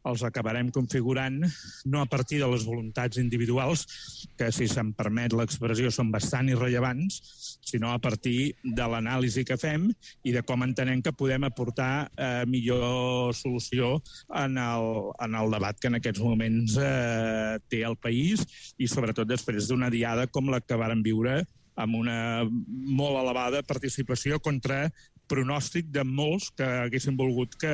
els acabarem configurant no a partir de les voluntats individuals, que, si se'm permet l'expressió, són bastant irrellevants, sinó a partir de l'anàlisi que fem i de com entenem que podem aportar millor solució en el debat que en aquests moments té el país, i sobretot després d'una diada com la que vàrem viure, amb una molt elevada participació contra pronòstic de molts que haguessin volgut que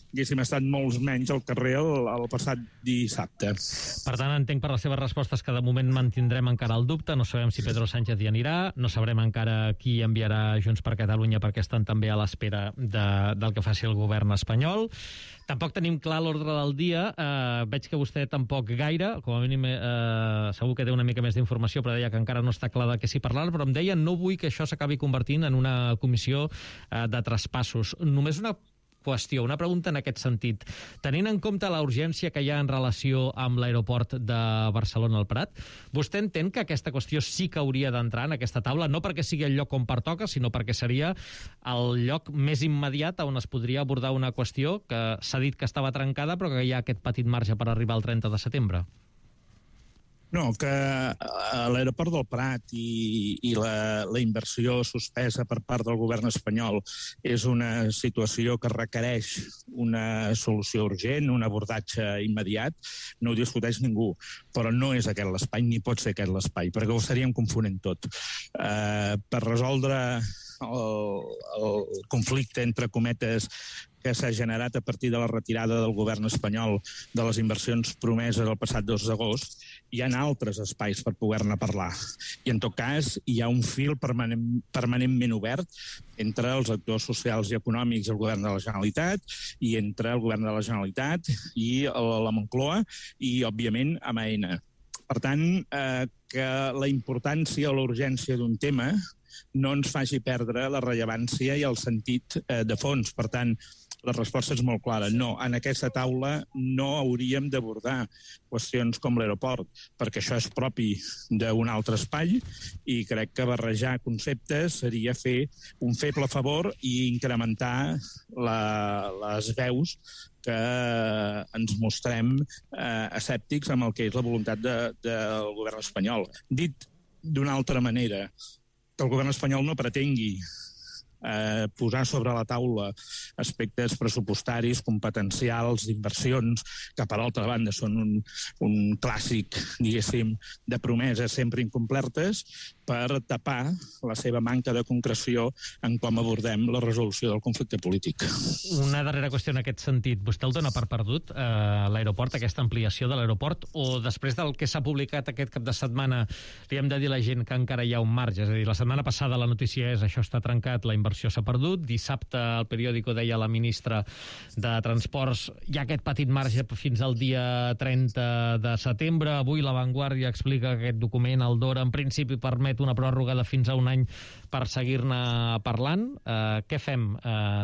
haguéssim estat molts menys al carrer el passat dissabte. Per tant, entenc per les seves respostes que de moment mantindrem encara el dubte, no sabem si Pedro Sánchez hi anirà, no sabrem encara qui enviarà Junts per Catalunya, perquè estan també a l'espera del que faci el govern espanyol. Tampoc tenim clar l'ordre del dia, veig que vostè tampoc gaire, com a mínim segur que té una mica més d'informació, però deia que encara no està clar de què s'hi parlarà, però em deia no vull que això s'acabi convertint en una comissió de traspassos. Només una qüestió, una pregunta en aquest sentit. Tenint en compte la urgència que hi ha en relació amb l'aeroport de Barcelona al Prat, vostè entén que aquesta qüestió sí que hauria d'entrar en aquesta taula, no perquè sigui el lloc on pertoca, sinó perquè seria el lloc més immediat on es podria abordar una qüestió que s'ha dit que estava trencada, però que hi ha aquest petit marge per arribar al 30 de setembre? No, que l'aeroport del Prat i la inversió suspesa per part del govern espanyol és una situació que requereix una solució urgent, un abordatge immediat, no ho discuteix ningú, però no és aquest l'espai, ni pot ser aquest l'espai, perquè ho estaríem confonent tot. Per resoldre el conflicte, entre cometes, que s'ha generat a partir de la retirada del govern espanyol de les inversions promeses el passat 2 d'agost, hi ha altres espais per poder-ne parlar. I, en tot cas, hi ha un fil permanentment obert entre els actors socials i econòmics i el govern de la Generalitat, i entre el govern de la Generalitat i la Moncloa, i, òbviament, amb AENA. Per tant, que la importància o la urgència d'un tema no ens faci perdre la rellevància i el sentit de fons. Per tant, la resposta és molt clara. No, en aquesta taula no hauríem d'abordar qüestions com l'aeroport, perquè això és propi d'un altre espai, i crec que barrejar conceptes seria fer un feble favor i incrementar les veus que ens mostrem escèptics amb el que és la voluntat del govern espanyol. Dit d'una altra manera, que el govern espanyol no pretengui posar sobre la taula aspectes pressupostaris, competencials, d'inversions, que per altra banda són un clàssic, diguéssim, de promeses sempre incomplertes, per tapar la seva manca de concreció en com abordem la resolució del conflicte polític. Una darrera qüestió en aquest sentit. Vostè el dona per perdut, l'aeroport, aquesta ampliació de l'aeroport, o després del que s'ha publicat aquest cap de setmana li hem de dir a la gent que encara hi ha un marge? És a dir, la setmana passada la notícia és això està trencat, la inversió s'ha perdut. Dissabte el periòdico deia la ministra de Transports hi ha aquest petit marge fins al dia 30 de setembre. Avui La Vanguardia explica que aquest document, el DORA, en principi permet una pròrroga de fins a un any per seguir-ne parlant. Què fem,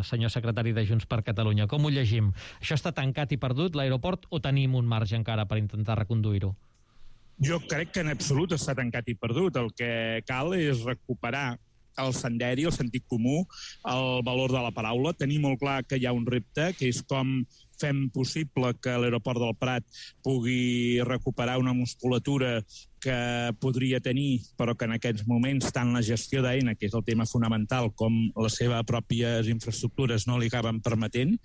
senyor secretari de Junts per Catalunya? Com ho llegim? Això està tancat i perdut, l'aeroport, o tenim un marge encara per intentar reconduir-ho? Jo crec que en absolut està tancat i perdut. El que cal és recuperar el senderi, el sentit comú, el valor de la paraula. Tenir molt clar que hi ha un repte, que és com fem possible que l'aeroport del Prat pugui recuperar una musculatura que podria tenir, però que en aquests moments tant la gestió d'AENA, que és el tema fonamental, com les seves pròpies infraestructures no li acaben permetent,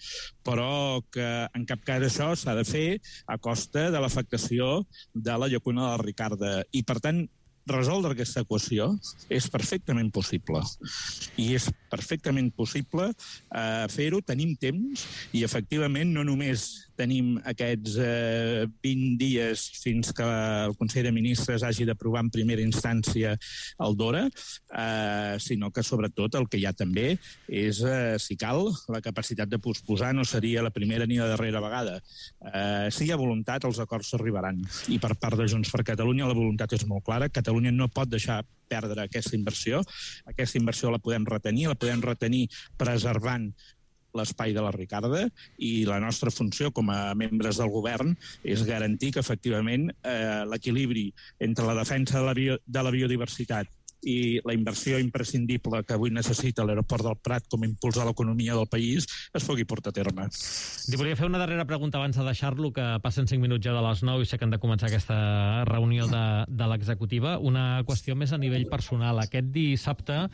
però que en cap cas això s'ha de fer a costa de l'afectació de la llacuna de la Ricarda. I, per tant, resoldre aquesta equació és perfectament possible. I és perfectament possible fer-ho, tenim temps, i efectivament no només tenim aquests 20 dies fins que el Consell de Ministres hagi d'aprovar en primera instància el DORA, sinó que sobretot el que hi ha també és, si cal, la capacitat de posposar. No seria la primera ni la darrera vegada. Si hi ha voluntat, els acords s'arribaran. I per part de Junts per Catalunya la voluntat és molt clara. Catalunya no pot deixar perdre aquesta inversió. Aquesta inversió la podem retenir preservant l'espai de la Ricarda, i la nostra funció com a membres del govern és garantir que efectivament l'equilibri entre la defensa de la biodiversitat i la inversió imprescindible que avui necessita l'aeroport del Prat com a impuls a l'economia del país es pugui portar a terme. Li volia fer una darrera pregunta abans de deixar-lo, que passen 5 minuts ja de les 9 i sé que han de començar aquesta reunió de l'executiva. Una qüestió més a nivell personal. Aquest dissabte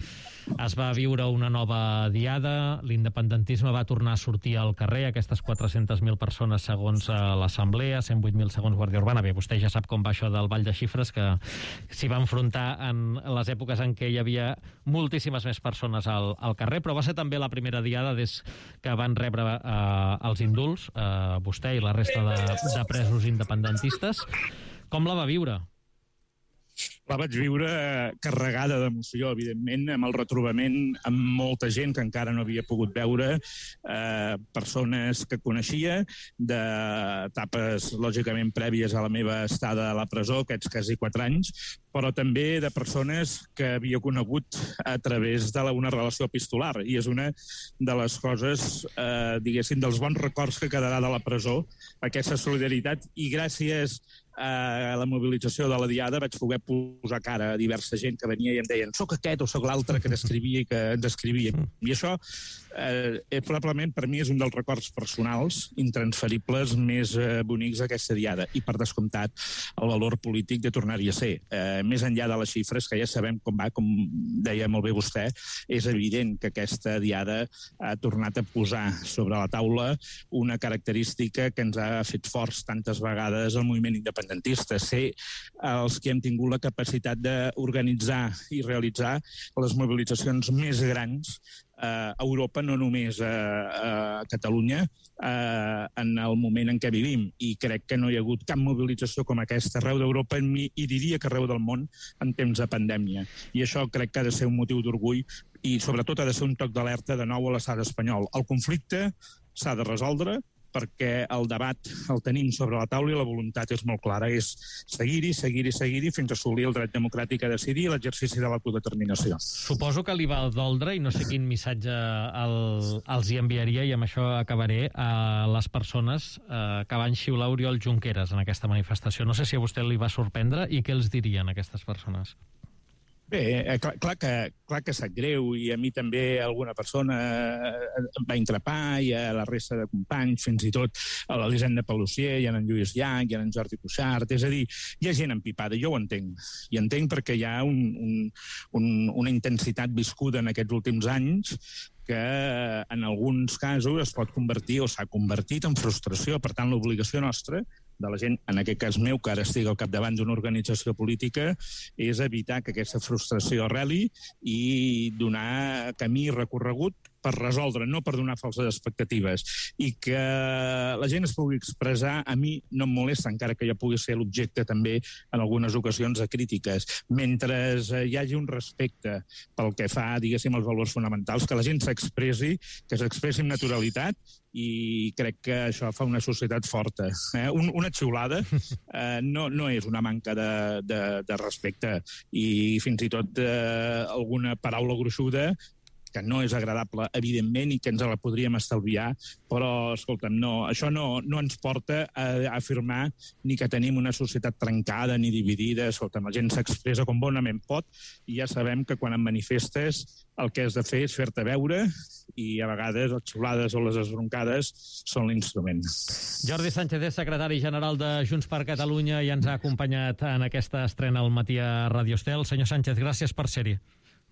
es va viure una nova diada, l'independentisme va tornar a sortir al carrer, aquestes 400.000 persones segons l'Assemblea, 108.000 segons Guàrdia Urbana. Bé, vostè ja sap com va això del ball de xifres, que s'hi va enfrontar en les èpoques en què hi havia moltíssimes més persones al carrer, però va ser també la primera diada des que van rebre els indults, vostè i la resta de presos independentistes. Com la va viure? La vaig viure carregada d'emoció, evidentment, amb el retrobament amb molta gent que encara no havia pogut veure, persones que coneixia, d'etapes, lògicament, prèvies a la meva estada a la presó, aquests quasi 4 anys, però també de persones que havia conegut a través d'una relació epistolar. I és una de les coses, diguéssim, dels bons records que quedarà de la presó, aquesta solidaritat, i gràcies a la mobilització de la Diada vaig poder posar cara a diversa gent que venia i em deien soc aquest o soc l'altre que descrivia i que ens descrivia. I això probablement per mi és un dels records personals intransferibles més bonics d'aquesta Diada, i per descomptat el valor polític de tornar-hi a ser. Més enllà de les xifres, que ja sabem com va, com deia molt bé vostè, és evident que aquesta Diada ha tornat a posar sobre la taula una característica que ens ha fet forts tantes vegades al moviment independentista, ser els que hem tingut la capacitat d'organitzar i realitzar les mobilitzacions més grans a Europa, no només a Catalunya, en el moment en què vivim. I crec que no hi ha hagut cap mobilització com aquesta arreu d'Europa i diria que arreu del món en temps de pandèmia. I això crec que ha de ser un motiu d'orgull i sobretot ha de ser un toc d'alerta de nou a l'estat espanyol. El conflicte s'ha de resoldre, perquè el debat el tenim sobre la taula i la voluntat és molt clara, és seguir-hi fins a assolir el dret democràtic a decidir i l'exercici de l'autodeterminació. Suposo que li va doldre, i no sé quin missatge els hi enviaria, i amb això acabaré, a les persones que van xiular Oriol Junqueras en aquesta manifestació. No sé si a vostè li va sorprendre i què els dirien aquestes persones. Bé, clar que sap greu, i a mi també alguna persona em va increpar, i a la resta de companys, fins i tot a l'Elisenda Palussier, i a en Lluís Llach, i a en Jordi Cuixart. És a dir, hi ha gent empipada, jo ho entenc. I entenc perquè hi ha una intensitat viscuda en aquests últims anys que en alguns casos es pot convertir o s'ha convertit en frustració. Per tant, l'obligació nostra de la gent, en aquest cas meu, que ara estic al capdavant d'una organització política, és evitar que aquesta frustració arreli i donar camí recorregut per resoldre, no per donar falses expectatives. I que la gent es pugui expressar, a mi no em molesta, encara que jo pugui ser l'objecte també en algunes ocasions de crítiques. Mentre hi hagi un respecte pel que fa, diguéssim, als valors fonamentals, que la gent s'expressi, que s'expressi amb naturalitat, i crec que això fa una societat forta. Una xiulada no és una manca de respecte, i fins i tot alguna paraula gruixuda que no és agradable, evidentment, i que ens la podríem estalviar, però, escolta'm, això no ens porta a afirmar ni que tenim una societat trencada ni dividida. Escolta'm, la gent s'expressa com bonament pot, i ja sabem que quan em manifestes el que has de fer és fer-te veure, i a vegades les xiulades o les esbroncades són l'instrument. Jordi Sánchez és secretari general de Junts per Catalunya i ens ha acompanyat en aquesta estrena al matí a Radio Estel. Senyor Sánchez, gràcies per ser-hi.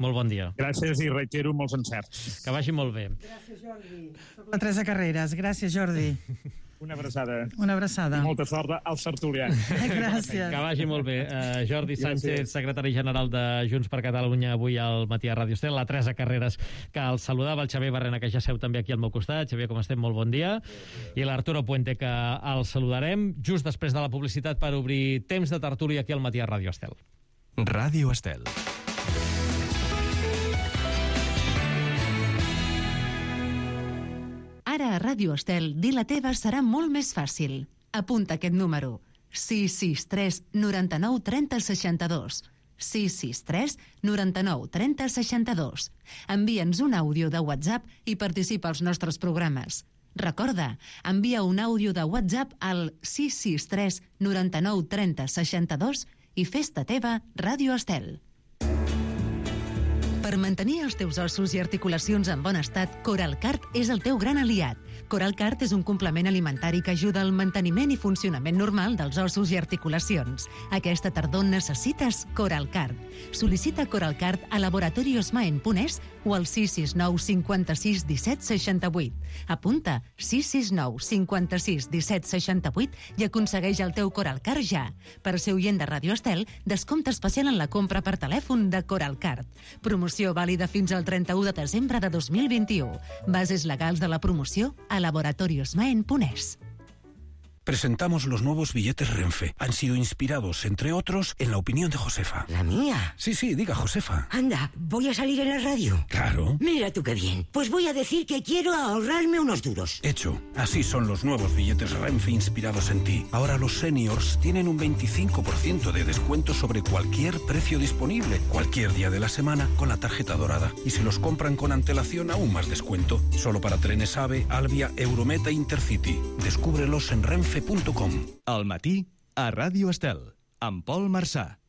Molt bon dia. Gràcies, i reitero molts encerts. Que vagi molt bé. Gràcies, Jordi. Soc la Teresa Carreras. Gràcies, Jordi. Una abraçada. Una abraçada. I molta sort als tertulians. Gràcies. Que vagi molt bé. Jordi Sánchez, secretari general de Junts per Catalunya, avui al matí a Radio Estel. La Teresa Carreras, que el saludava, el Xavier Barrena, que ja seu també aquí al meu costat. Xavier, com estem? Molt bon dia. I l'Arturo Puente, que el saludarem just després de la publicitat per obrir temps de tertúlia aquí al matí a Radio Estel. Radio Estel. Ara a Ràdio Estel, dir la teva serà molt més fàcil. Apunta aquest número: 663 99 30 62. 663 99 30 62. Envia'ns un àudio de WhatsApp i participa als nostres programes. Recorda, envia un àudio de WhatsApp al 663 99 30 62 i fes-te teva Ràdio Estel. Per mantenir els teus ossos i articulacions en bon estat, Coralcart és el teu gran aliat. Coralcart és un complement alimentari que ajuda al manteniment i funcionament normal dels ossos i articulacions. Aquesta tardor necessites Coralcart. Sol·licita Coralcart a laboratoriosmaen.es o al 669 56 17 68. Apunta 669 56 17 68 i aconsegueix el teu Coralcart ja. Per ser oient de Radio Estel, descompte especial en la compra per telèfon de Coralcart. Promoció vàlida fins al 31 de desembre de 2021. Bases legals de la promoció a laboratoriosmaen.es. Presentamos los nuevos billetes Renfe. Han sido inspirados, entre otros, en la opinión de Josefa. ¿La mía? Sí, diga Josefa. Anda, ¿voy a salir en la radio? Claro. Mira tú qué bien. Pues voy a decir que quiero ahorrarme unos duros. Hecho. Así son los nuevos billetes Renfe inspirados en ti. Ahora los seniors tienen un 25% de descuento sobre cualquier precio disponible, cualquier día de la semana, con la tarjeta dorada. Y si los compran con antelación, aún más descuento. Solo para trenes AVE, Alvia, Eurometa e Intercity. Descúbrelos en Renfe. Al matí, a Ràdio Estel, amb Pol Marçà.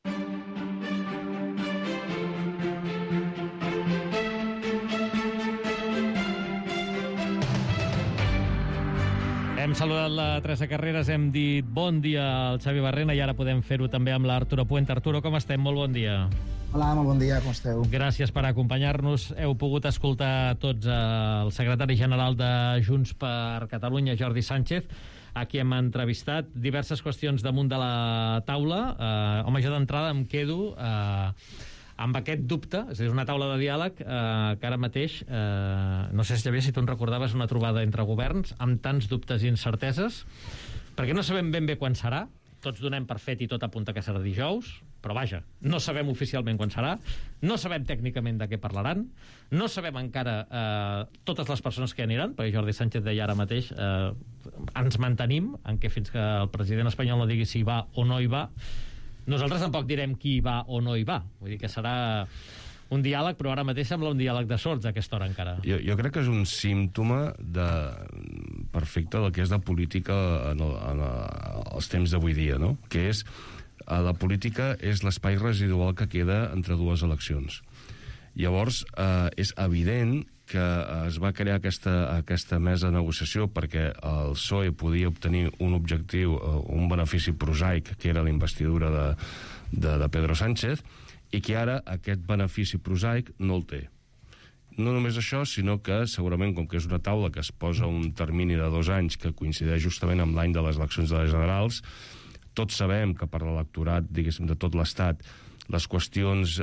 Hem saludat la Teresa Carreras, hem dit bon dia al Xavi Barrena i ara podem fer-ho també amb l'Arturo Puente. Arturo, com estem? Molt bon dia. Hola, molt bon dia, com esteu? Gràcies per acompanyar-nos. Heu pogut escoltar tots el secretari general de Junts per Catalunya, Jordi Sánchez. Aquí hem entrevistat diverses qüestions damunt de la taula. Home, jo d'entrada em quedo amb aquest dubte, és a dir, una taula de diàleg que ara mateix, no sé si si tu en recordaves una trobada entre governs amb tants dubtes i incerteses, perquè no sabem ben bé quan serà, tots donem per fet i tot apunta que serà dijous, però vaja, no sabem oficialment quan serà, no sabem tècnicament de què parlaran, no sabem encara totes les persones que aniran, perquè Jordi Sánchez deia ara mateix ens mantenim en què fins que el president espanyol no digui si hi va o no hi va, nosaltres tampoc direm qui hi va o no hi va. Vull dir que serà un diàleg, però ara mateix sembla un diàleg de sords a aquesta hora encara. Jo crec que és un símptoma perfecte del que és la política en els temps d'avui dia, no? Que és la política és l'espai residual que queda entre dues eleccions. Llavors, és evident que es va crear aquesta mesa de negociació perquè el PSOE podia obtenir un objectiu, un benefici prosaic, que era la investidura de Pedro Sánchez, i que ara aquest benefici prosaic no el té. No només això, sinó que segurament, com que és una taula que es posa un termini de 2 anys que coincideix justament amb l'any de les eleccions de les generals, tots sabem que per l'electorat, diguéssim, de tot l'Estat, les qüestions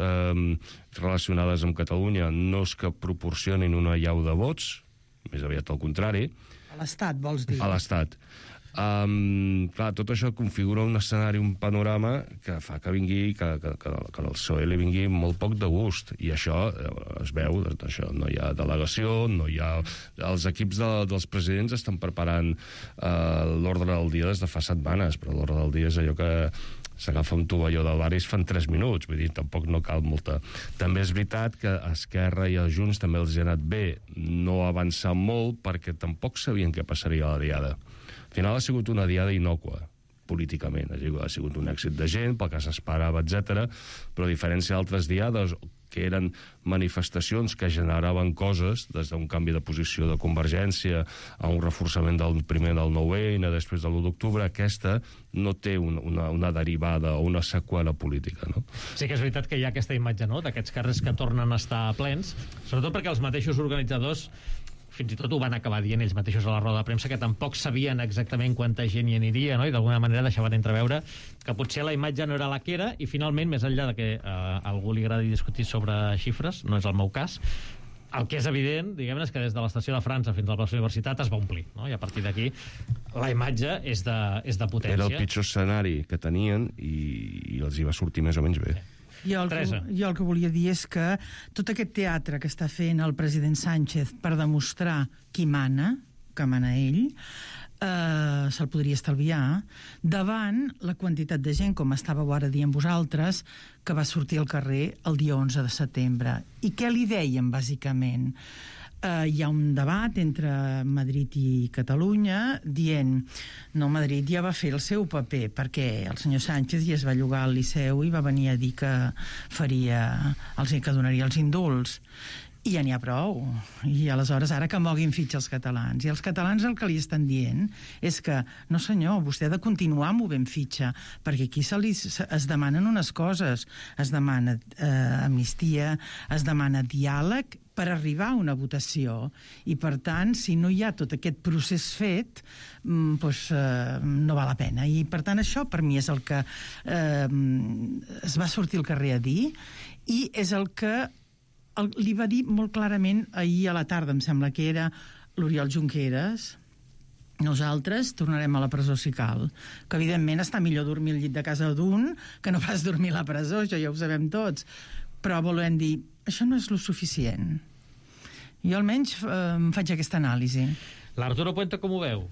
relacionades amb Catalunya no és que proporcionin una allau de vots, més aviat al contrari. A l'Estat, vols dir? A l'Estat. Clar, tot això configura un escenari, un panorama que fa que vingui, que el PSOE li vingui molt poc de gust, i això es veu, això, no hi ha delegació, no hi ha... Els equips dels presidents estan preparant l'ordre del dia des de fa setmanes, però l'ordre del dia és allò que s'agafa un tovalló del bar i es fan 3 minuts, vull dir, tampoc no cal molta. També és veritat que a Esquerra i a Junts també els ha anat bé no avançar molt perquè tampoc sabien què passaria a la diada. Al final ha sigut una diada innòcua, políticament. Ha sigut un èxit de gent, pel que s'esperava, etc. Però a diferència d'altres diades, que eren manifestacions que generaven coses, des d'un canvi de posició de Convergència a un reforçament del primer del 9-N, després de l'1 d'octubre, aquesta no té una derivada o una seqüela política, no? Sí que és veritat que hi ha aquesta imatge, no?, d'aquests carrers que tornen a estar plens, sobretot perquè els mateixos organitzadors fins i tot ho van acabar dient ells mateixos a la roda de premsa, que tampoc sabien exactament quanta gent hi aniria, no? I d'alguna manera deixaven entreveure que potser la imatge no era la que era, i finalment, més enllà de que a algú li agradi discutir sobre xifres, no és el meu cas, el que és evident, diguem-ne, és que des de l'estació de França fins a la plaça Universitat es va omplir, no? I a partir d'aquí la imatge és de potència. Era el pitjor escenari que tenien i els hi va sortir més o menys bé. Jo el que volia dir és que tot aquest teatre que està fent el president Sánchez per demostrar qui mana, que mana ell, se'l podria estalviar davant la quantitat de gent, com estàveu ara dient vosaltres, que va sortir al carrer el dia 11 de setembre. I què li deien, bàsicament? hi ha un debat entre Madrid i Catalunya dient no, Madrid ja va fer el seu paper perquè el senyor Sánchez ja es va llogar al Liceu i va venir a dir que donaria els indults. I ja n'hi ha prou. I aleshores ara que moguin fitxa els catalans. I els catalans el que li estan dient és que, no senyor, vostè ha de continuar movent fitxa, perquè aquí es demanen unes coses. Es demana amnistia, es demana diàleg per arribar a una votació. I, per tant, si no hi ha tot aquest procés fet, doncs no val la pena. I, per tant, això per mi és el que es va sortir al carrer a dir i és el que li va dir molt clarament ahir a la tarda, em sembla que era l'Oriol Junqueras. Nosaltres tornarem a la presó si cal, que evidentment està millor dormir al llit de casa d'un que no pas dormir a la presó, això ja ho sabem tots, però volem dir, això no és lo suficient. Jo almenys em faig aquesta anàlisi. L'Arturo Puente com ho veu?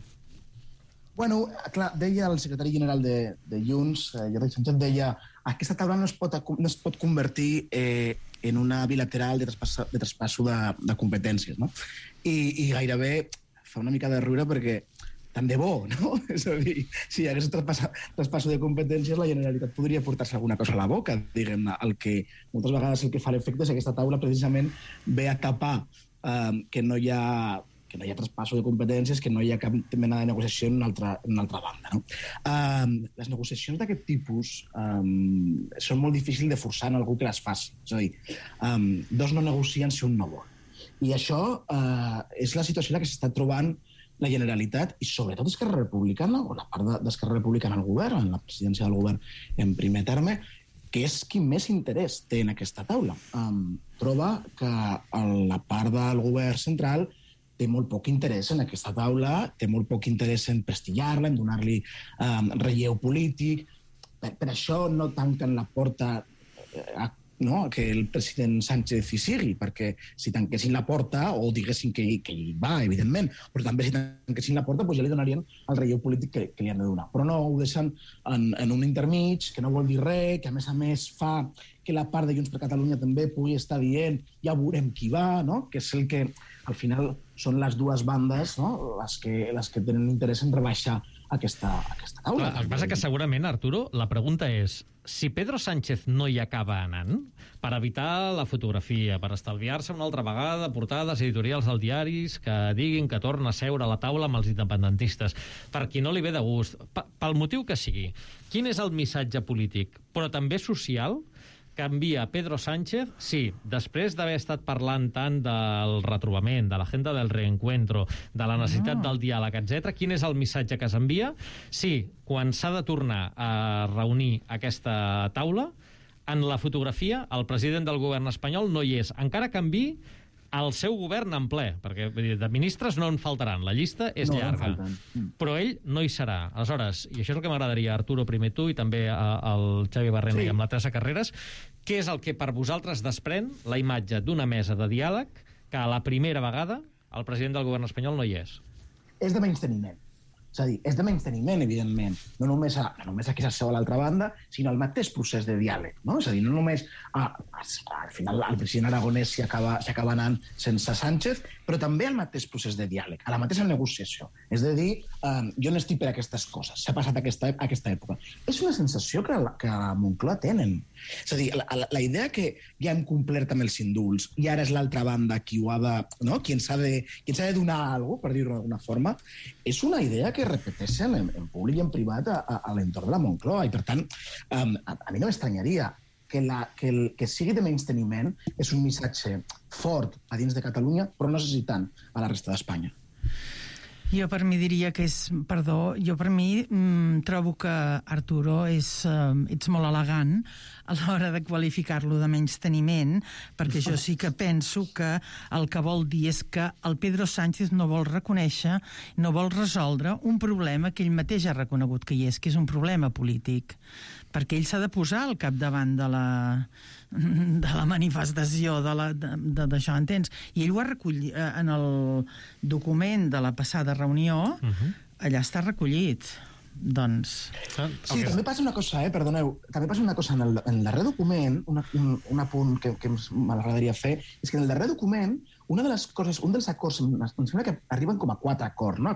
Bueno, clar, deia el secretari general de Junts, Jordi Sánchez, deia aquesta taula no es pot convertir en una bilateral de traspasso de competències, no? I gairebé fa una mica de riure perquè tant de bo, no? És a dir, si hi hagués traspasso de competències, la Generalitat podria portar-se alguna cosa a la boca, diguem-ne. El que moltes vegades el que fa l'efecte és que aquesta taula precisament ve a tapar que no hi ha traspasso de competències, que no hi ha cap mena de negociació en una altra banda. No? Les negociacions d'aquest tipus són molt difícils de forçar en algú que les faci. És a dir, dos no negocien si un no vol. I això és la situació en la que s'està trobant la Generalitat i sobretot Esquerra Republicana, o la part d'Esquerra Republicana al govern, en la presidència del govern en primer terme, que és qui més interès té en aquesta taula. Troba que la part del govern central té molt poc interès en aquesta taula, té molt poc interès en prestigiar-la, en donar-li relleu polític. Per això no tanquen la porta a que el president Sánchez hi sigui, perquè si tanquessin la porta, o diguessin que hi va, evidentment, però també si tanquessin la porta ja li donarien el relleu polític que li han de donar. Però no ho deixen en un intermig, que no vol dir res, que a més fa que la part de Junts per Catalunya també pugui estar dient ja veurem qui va, no? Que és el que al final són les dues bandes, no? les que tenen interès en rebaixar aquesta taula. El que passa que segurament, Arturo, la pregunta és si Pedro Sánchez no hi acaba anant, per evitar la fotografia, per estalviar-se una altra vegada portades editorials dels diaris que diguin que torna a seure a la taula amb els independentistes, per qui no li ve de gust, pel motiu que sigui, quin és el missatge polític, però també social, que envia Pedro Sánchez, sí, després d'haver estat parlant tant del retrobament, de l'agenda del reencuentro, de la necessitat del diàleg, etc., quin és el missatge que s'envia? Sí, quan s'ha de tornar a reunir aquesta taula, en la fotografia el president del govern espanyol no hi és, encara que enviï el seu govern en ple, perquè de ministres no en faltaran, la llista és llarga, però ell no hi serà. Aleshores, i això és el que m'agradaria, Arturo, primer tu, i també el Xavi Barrena i amb la Teresa Carreras, què és el que per vosaltres desprèn la imatge d'una mesa de diàleg que a la primera vegada el president del govern espanyol no hi és? És de menysteniment. És a dir, és de menysteniment, evidentment, no només a qui s'asseu a l'altra banda, sinó al mateix procés de diàleg. No? És a dir, no només al final el president Aragonès s'hi acaba anant sense Sánchez, però també al mateix procés de diàleg, a la mateixa negociació. És a dir, jo no estic per aquestes coses, s'ha passat aquesta època. És una sensació que a Moncloa tenen. És a dir, la idea que ja hem complert amb els indults i ara és l'altra banda qui ho ha de... No? Qui ens ha de donar alguna cosa, per dir-ho d'alguna forma, és una idea que repeteixen en públic i en privat a l'entorn de la Moncloa. I, per tant, a mi no m'estranyaria que sigui de menysteniment és un missatge fort a dins de Catalunya, però no sé si tant a la resta d'Espanya. Jo per mi diria que és... Perdó, jo per mi trobo que, Arturo, ets molt elegant a l'hora de qualificar-lo de menysteniment, perquè jo sí que penso que el que vol dir és que el Pedro Sánchez no vol reconèixer, no vol resoldre un problema que ell mateix ha reconegut que hi és, que és un problema polític. Perquè ell s'ha de posar al capdavant de la manifestació d'això, entens? I ell ho ha recollit en el document de la passada reunió, allà està recollit. doncs... Sí, també passa una cosa, perdoneu, també passa una cosa en el darrer document, un apunt que m'agradaria fer, és que en el darrer document, una de les coses, un dels acords, em sembla que arriben com a 4 acords, no?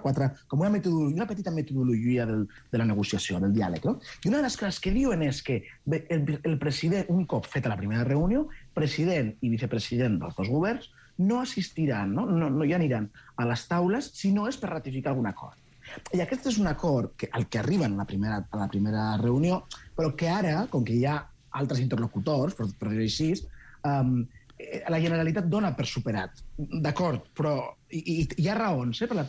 Com una petita metodologia de la negociació, del diàleg, no? I una de les coses que diuen és que el president, un cop feta la primera reunió, president i vicepresident dels dos governs no assistiran, no hi aniran a les taules si no és per ratificar algun acord. I aquest és un acord al que arriben a la primera reunió, però que ara, com que hi ha altres interlocutors, per dir-ho així, la Generalitat dona per superat. D'acord, però hi ha raons, és a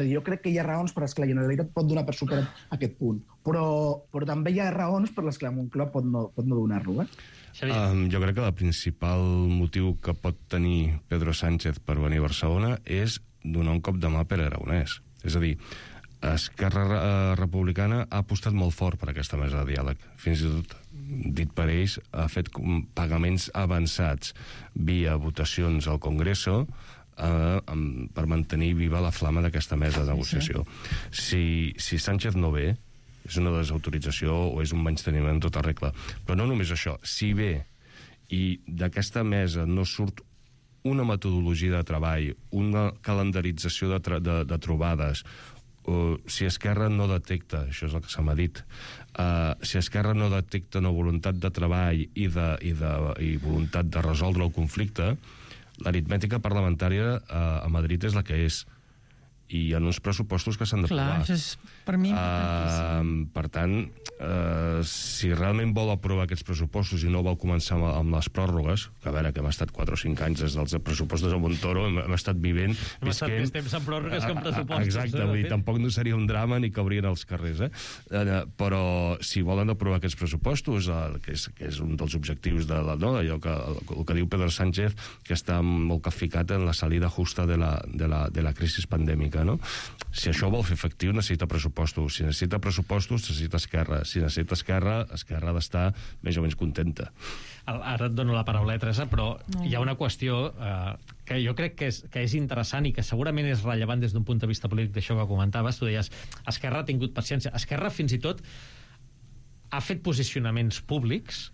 dir, jo crec que hi ha raons per les que la Generalitat pot donar per superat aquest punt, però també hi ha raons per les que la Moncloa pot no donar-lo, Jo crec que el principal motiu que pot tenir Pedro Sánchez per venir a Barcelona és donar un cop de mà a Pere Aragonès. És a dir, Esquerra Republicana ha apostat molt fort per aquesta mesa de diàleg. Fins i tot, dit per ells, ha fet pagaments avançats via votacions al Congreso per mantenir viva la flama d'aquesta mesa de negociació. Si Sánchez no ve, és una desautorització o és un menysteniment en tota regla. Però no només això, si ve i d'aquesta mesa no surt una metodologia de treball, una calendarització de trobades, si Esquerra no detecta, això és el que se m'ha dit, si Esquerra no detecta una voluntat de treball i voluntat de resoldre el conflicte, l'aritmètica parlamentària a Madrid és la que és, i en uns pressupostos que s'han d'aprovar. Clar, això és per mi importantíssim. Per tant, si realment vol aprovar aquests pressupostos i no vol començar amb les pròrrogues, que a veure, que hem estat 4 o 5 anys des dels pressupostos de Montoro, hem estat vivent... Hem estat més temps en pròrrogues que en pressupostos. Exacte, vull dir, tampoc no seria un drama ni caurien als carrers, però si volen aprovar aquests pressupostos, que és un dels objectius allò que diu Pedro Sánchez, que està molt capficat en la salida justa de la crisi pandèmica, no? Si això vol fer efectiu, necessita pressupostos. Si necessita pressupostos, necessita Esquerra. Si necessita Esquerra ha d'estar més o menys contenta. Ara et dono la paraula, Teresa, però hi ha una qüestió que jo crec que és interessant i que segurament és rellevant des d'un punt de vista polític d'això que comentaves. Tu deies, Esquerra ha tingut paciència. Esquerra fins i tot ha fet posicionaments públics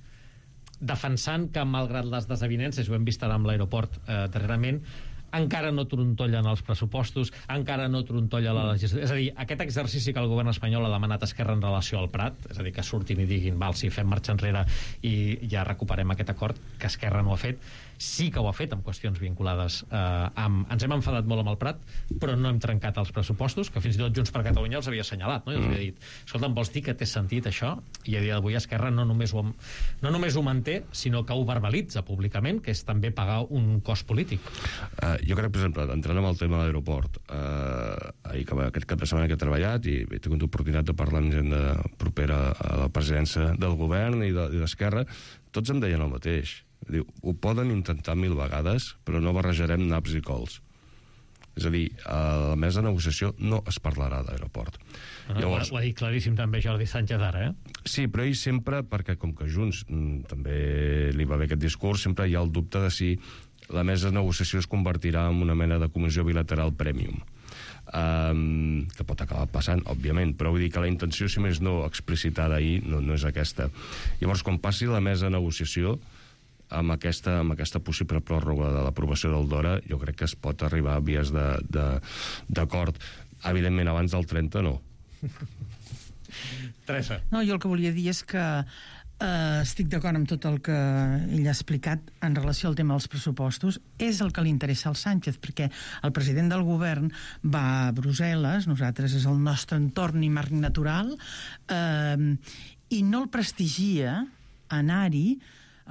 defensant que, malgrat les desavinences, ho hem vist ara amb l'aeroport darrerament, encara no trontollen els pressupostos, encara no trontolla la legislació. És a dir, aquest exercici que el govern espanyol ha demanat a Esquerra en relació al Prat, és a dir, que surtin i diguin, val, si fem marxa enrere i ja recuperem aquest acord, que Esquerra no ha fet, sí que ho ha fet amb qüestions vinculades ens hem enfadat molt amb el Prat, però no hem trencat els pressupostos, que fins i tot Junts per Catalunya els havia assenyalat, no? I els havia dit, escolta'm, vols dir que té sentit això? I a dia d'avui Esquerra no només ho manté, sinó que ho verbalitza públicament, que és també pagar un cost polític. Jo crec, per exemple, entrant en el tema de l'aeroport, aquest cap de setmana que he treballat i he tingut l'oportunitat de parlar amb gent propera a la presidència del govern i d'Esquerra, tots em deien el mateix. Diu, ho poden intentar 1000 vegades, però no barrejarem naps i cols. És a dir, a la mesa de negociació no es parlarà d'aeroport. Llavors, ho ha dit claríssim també Jordi Sánchez ara, Sí, però ell sempre, perquè com que Junts també li va bé aquest discurs, sempre hi ha el dubte de si la mesa de negociació es convertirà en una mena de comissió bilateral premium. Que pot acabar passant, òbviament, però vull dir que la intenció, si més no explicitada ahir, no és aquesta. Llavors, quan passi la mesa de negociació, amb aquesta possible pròrroga de l'aprovació del DORA, jo crec que es pot arribar a vies d'acord. Evidentment, abans del 30, no. Teresa. No, jo el que volia dir és que estic d'acord amb tot el que ell ha explicat en relació al tema dels pressupostos. És el que li interessa al Sánchez, perquè el president del govern va a Brussel·les, nosaltres és el nostre entorn i marc natural, i no el prestigia anar-hi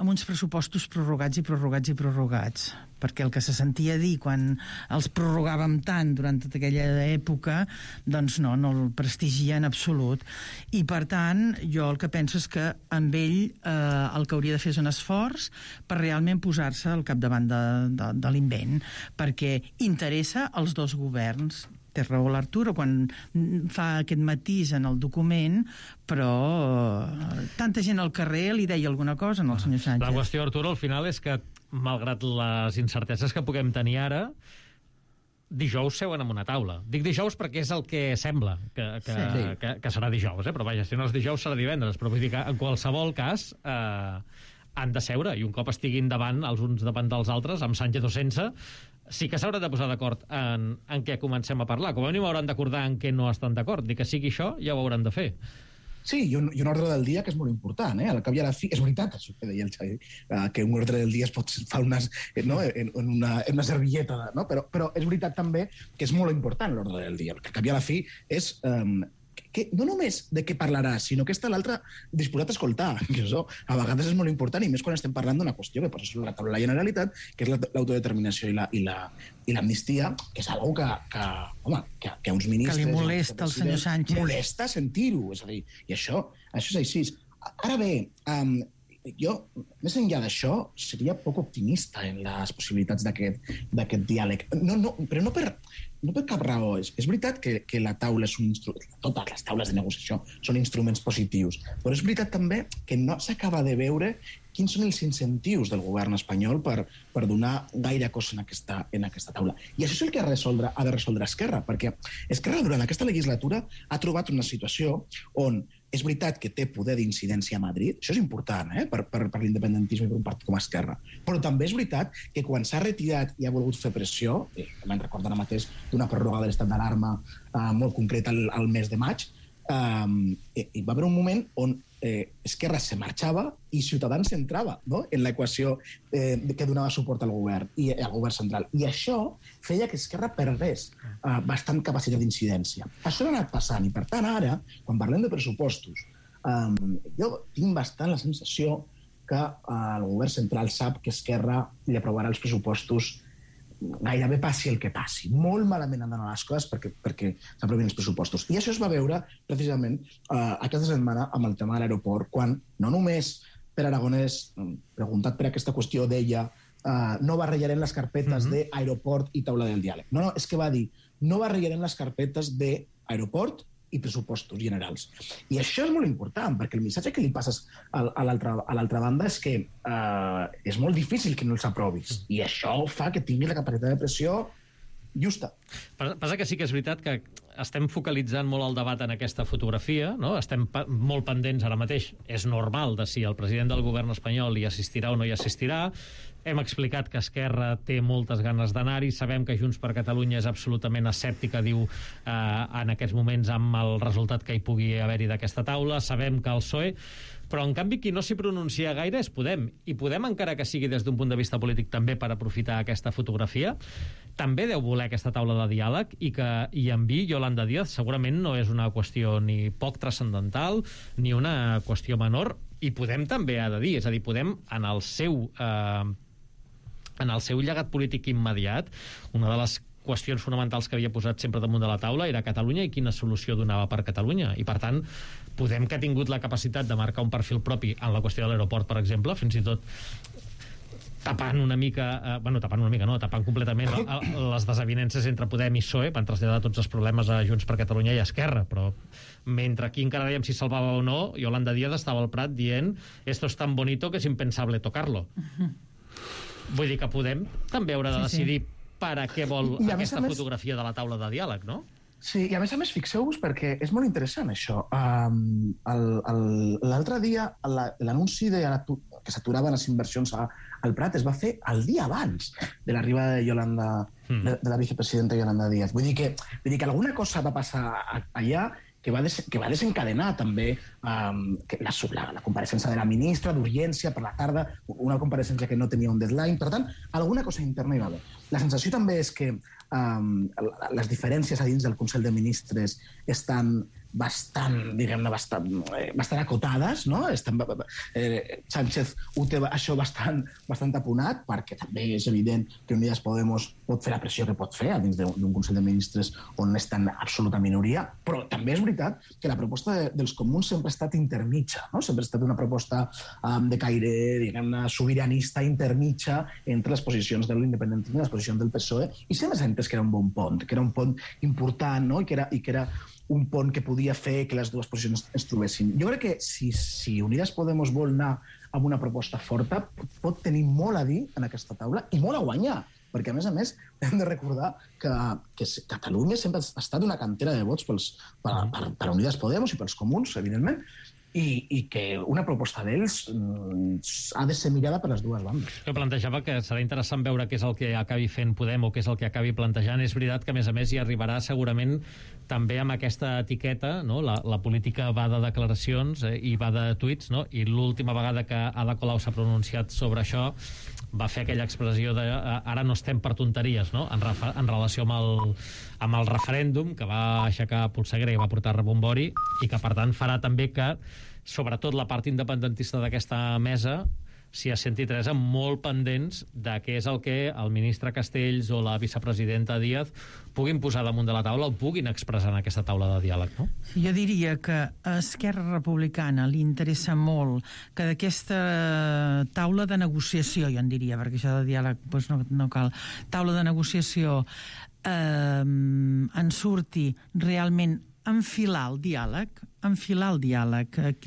amb uns pressupostos prorrogats i prorrogats i prorrogats, perquè el que se sentia dir quan els prorrogàvem tant durant tota aquella època, doncs no el prestigia en absolut. I per tant, jo el que penso és que amb ell el que hauria de fer és un esforç per realment posar-se al capdavant de l'invent, perquè interessa als dos governs. Té raó l'Arturo quan fa aquest matís en el document, però tanta gent al carrer li deia alguna cosa al senyor Sánchez. La qüestió, Arturo, al final és que, malgrat les incerteses que puguem tenir ara, dijous seuen en una taula. Dic dijous perquè és el que sembla que serà dijous, però vaja, si no és dijous serà divendres, però vull dir que en qualsevol cas han de seure, i un cop estiguin davant els uns davant dels altres, amb Sánchez o sense, sí que s'hauran de posar d'acord en què comencem a parlar. Com a mínim hauran d'acordar en què no estan d'acord. Dic que sigui això, ja ho hauran de fer. Sí, i un ordre del dia que és molt important, Al cap i a la fi, és veritat, això que deia el Xavi, que un ordre del dia es pot fer en una servilleta, no? Però és veritat també que és molt important l'ordre del dia, perquè al cap i a la fi és que no només de què parlarà, sinó que està l'altre disposat a escoltar, que això a vegades és molt important, i més quan estem parlant d'una qüestió que posa sobre la taula de la Generalitat, que és l'autodeterminació i l'amnistia, que és una cosa que a uns ministres... Que li molesta al senyor Sánchez. Molesta sentir-ho, és a dir, i això és així. Ara bé, jo, més enllà d'això, seria poc optimista en les possibilitats d'aquest diàleg. Però no per cap raó. És veritat que la taula és un instrument, totes les taules de negociació són instruments positius, però és veritat també que no s'acaba de veure quins són els incentius del govern espanyol per donar gaire cosa en aquesta taula. I això és el que ha de resoldre Esquerra, perquè Esquerra durant aquesta legislatura ha trobat una situació on és veritat que té poder d'incidència a Madrid, això és important per l'independentisme i per un partit com Esquerra, però també és veritat que quan s'ha retirat i ha volgut fer pressió, me'n recordo ara mateix d'una pròrroga de l'estat d'alarma molt concreta al mes de maig, hi va haver un moment on Esquerra se marxava i Ciutadans entrava en l'equació que donava suport al govern i al govern central. I això feia que Esquerra perdés bastant capacitat d'incidència. Això ha anat passant i, per tant, ara, quan parlem de pressupostos, jo tinc bastant la sensació que el govern central sap que Esquerra li aprovarà els pressupostos gairebé passi el que passi. Molt malament han d'anar les coses perquè s'aprovin els pressupostos. I això es va veure precisament aquesta setmana amb el tema de l'aeroport, quan no només Per Aragonès, preguntat per aquesta qüestió, deia no barrejarem les carpetes d'aeroport i taula del diàleg. No, és que va dir no barrejarem les carpetes d'aeroport i pressupostos generals. I això és molt important, perquè el missatge que li passes a l'altra banda és que és molt difícil que no els aprovis. I això fa que tingui la capacitat de pressió justa. Passa que sí que és veritat que estem focalitzant molt el debat en aquesta fotografia, no? Estem molt pendents ara mateix, és normal, de si el president del govern espanyol hi assistirà o no hi assistirà. Hem explicat que Esquerra té moltes ganes d'anar-hi, sabem que Junts per Catalunya és absolutament escèptica, diu, en aquests moments amb el resultat que hi pugui haver-hi d'aquesta taula, sabem que el PSOE, però en canvi qui no s'hi pronuncia gaire és Podem, i Podem, encara que sigui des d'un punt de vista polític també per aprofitar aquesta fotografia, també deu voler aquesta taula de diàleg i que hi enviï Yolanda Díaz segurament no és una qüestió ni poc transcendental ni una qüestió menor, i Podem també ha de dir, és a dir, Podem en el seu llegat polític immediat, una de les qüestions fonamentals que havia posat sempre damunt de la taula era Catalunya i quina solució donava per Catalunya, i per tant Podem, que ha tingut la capacitat de marcar un perfil propi en la qüestió de l'aeroport, per exemple, fins i tot tapant completament les desavinences entre Podem i PSOE, van traslladar tots els problemes a Junts per Catalunya i a Esquerra, però mentre aquí encara dèiem si salvava o no, Yolanda Díaz estava al Prat dient esto es tan bonito que es impensable tocarlo. Vull dir que Podem també haurà de decidir per a què vol aquesta fotografia de la taula de diàleg, no? Sí, i a més, fixeu-vos, perquè és molt interessant això. L'altre dia, l'anunci que s'aturaven les inversions al Prat es va fer el dia abans de l'arribada de de la vicepresidenta Yolanda Díaz. Vull dir que alguna cosa va passar allà que va desencadenar també la compareixença de la ministra d'Urgència per la tarda, una compareixença que no tenia un deadline. Per tant, alguna cosa interna hi va haver. La sensació també és que les diferències a dins del Consell de Ministres estan bastant acotades, no? Sánchez ho té això bastant apunat, perquè també és evident que Unidas Podemos pot fer la pressió que pot fer dins d'un Consell de Ministres on està en absoluta minoria, però també és veritat que la proposta dels comuns sempre ha estat intermitja, no? Sempre ha estat una proposta de caire, diguem-ne, sobiranista, intermitja entre les posicions de l'independentisme i les posicions del PSOE, i sempre s'ha entès que era un bon pont, que era un pont important, no? I que era un pont que podia fer que les dues posicions es trobessin. Jo crec que si Unidas Podemos vol anar amb una proposta forta, pot tenir molt a dir en aquesta taula i molt a guanyar perquè, a més, hem de recordar que Catalunya sempre ha estat una cantera de vots per Unidas Podemos i pels comuns, evidentment, i que una proposta d'ells ha de ser mirada per les dues bandes. Jo plantejava que serà interessant veure què és el que acabi fent Podem o què és el que acabi plantejant. És veritat que, a més, hi arribarà segurament també amb aquesta etiqueta, no? La política va de declaracions i va de tuits, no? I l'última vegada que Ada Colau s'ha pronunciat sobre això va fer aquella expressió de ara no estem per tonteries, no? En relació amb el referèndum que va aixecar polseguera i va portar rebombori, i que per tant farà també que sobretot la part independentista d'aquesta mesa s'hi senti Teresa molt pendents de què és el que el ministre Castells o la vicepresidenta Díaz puguin posar damunt de la taula o puguin expressar en aquesta taula de diàleg, no? Jo diria que a Esquerra Republicana li interessa molt que d'aquesta taula de negociació, jo en diria, perquè això de diàleg doncs no cal, taula de negociació en surti realment enfilar el diàleg,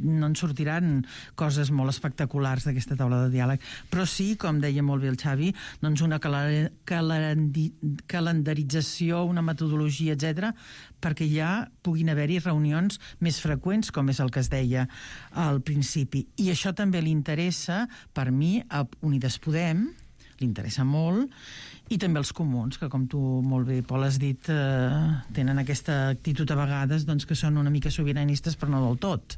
no en sortiran coses molt espectaculars d'aquesta taula de diàleg, però sí, com deia molt bé el Xavi, doncs una calendarització, una metodologia, etc, perquè ja puguin haver-hi reunions més freqüents, com és el que es deia al principi. I això també li interessa, per mi, a Unides Podem, li interessa molt, i també els comuns, que com tu molt bé, Pol, has dit, tenen aquesta actitud a vegades doncs, que són una mica sobiranistes, però no del tot.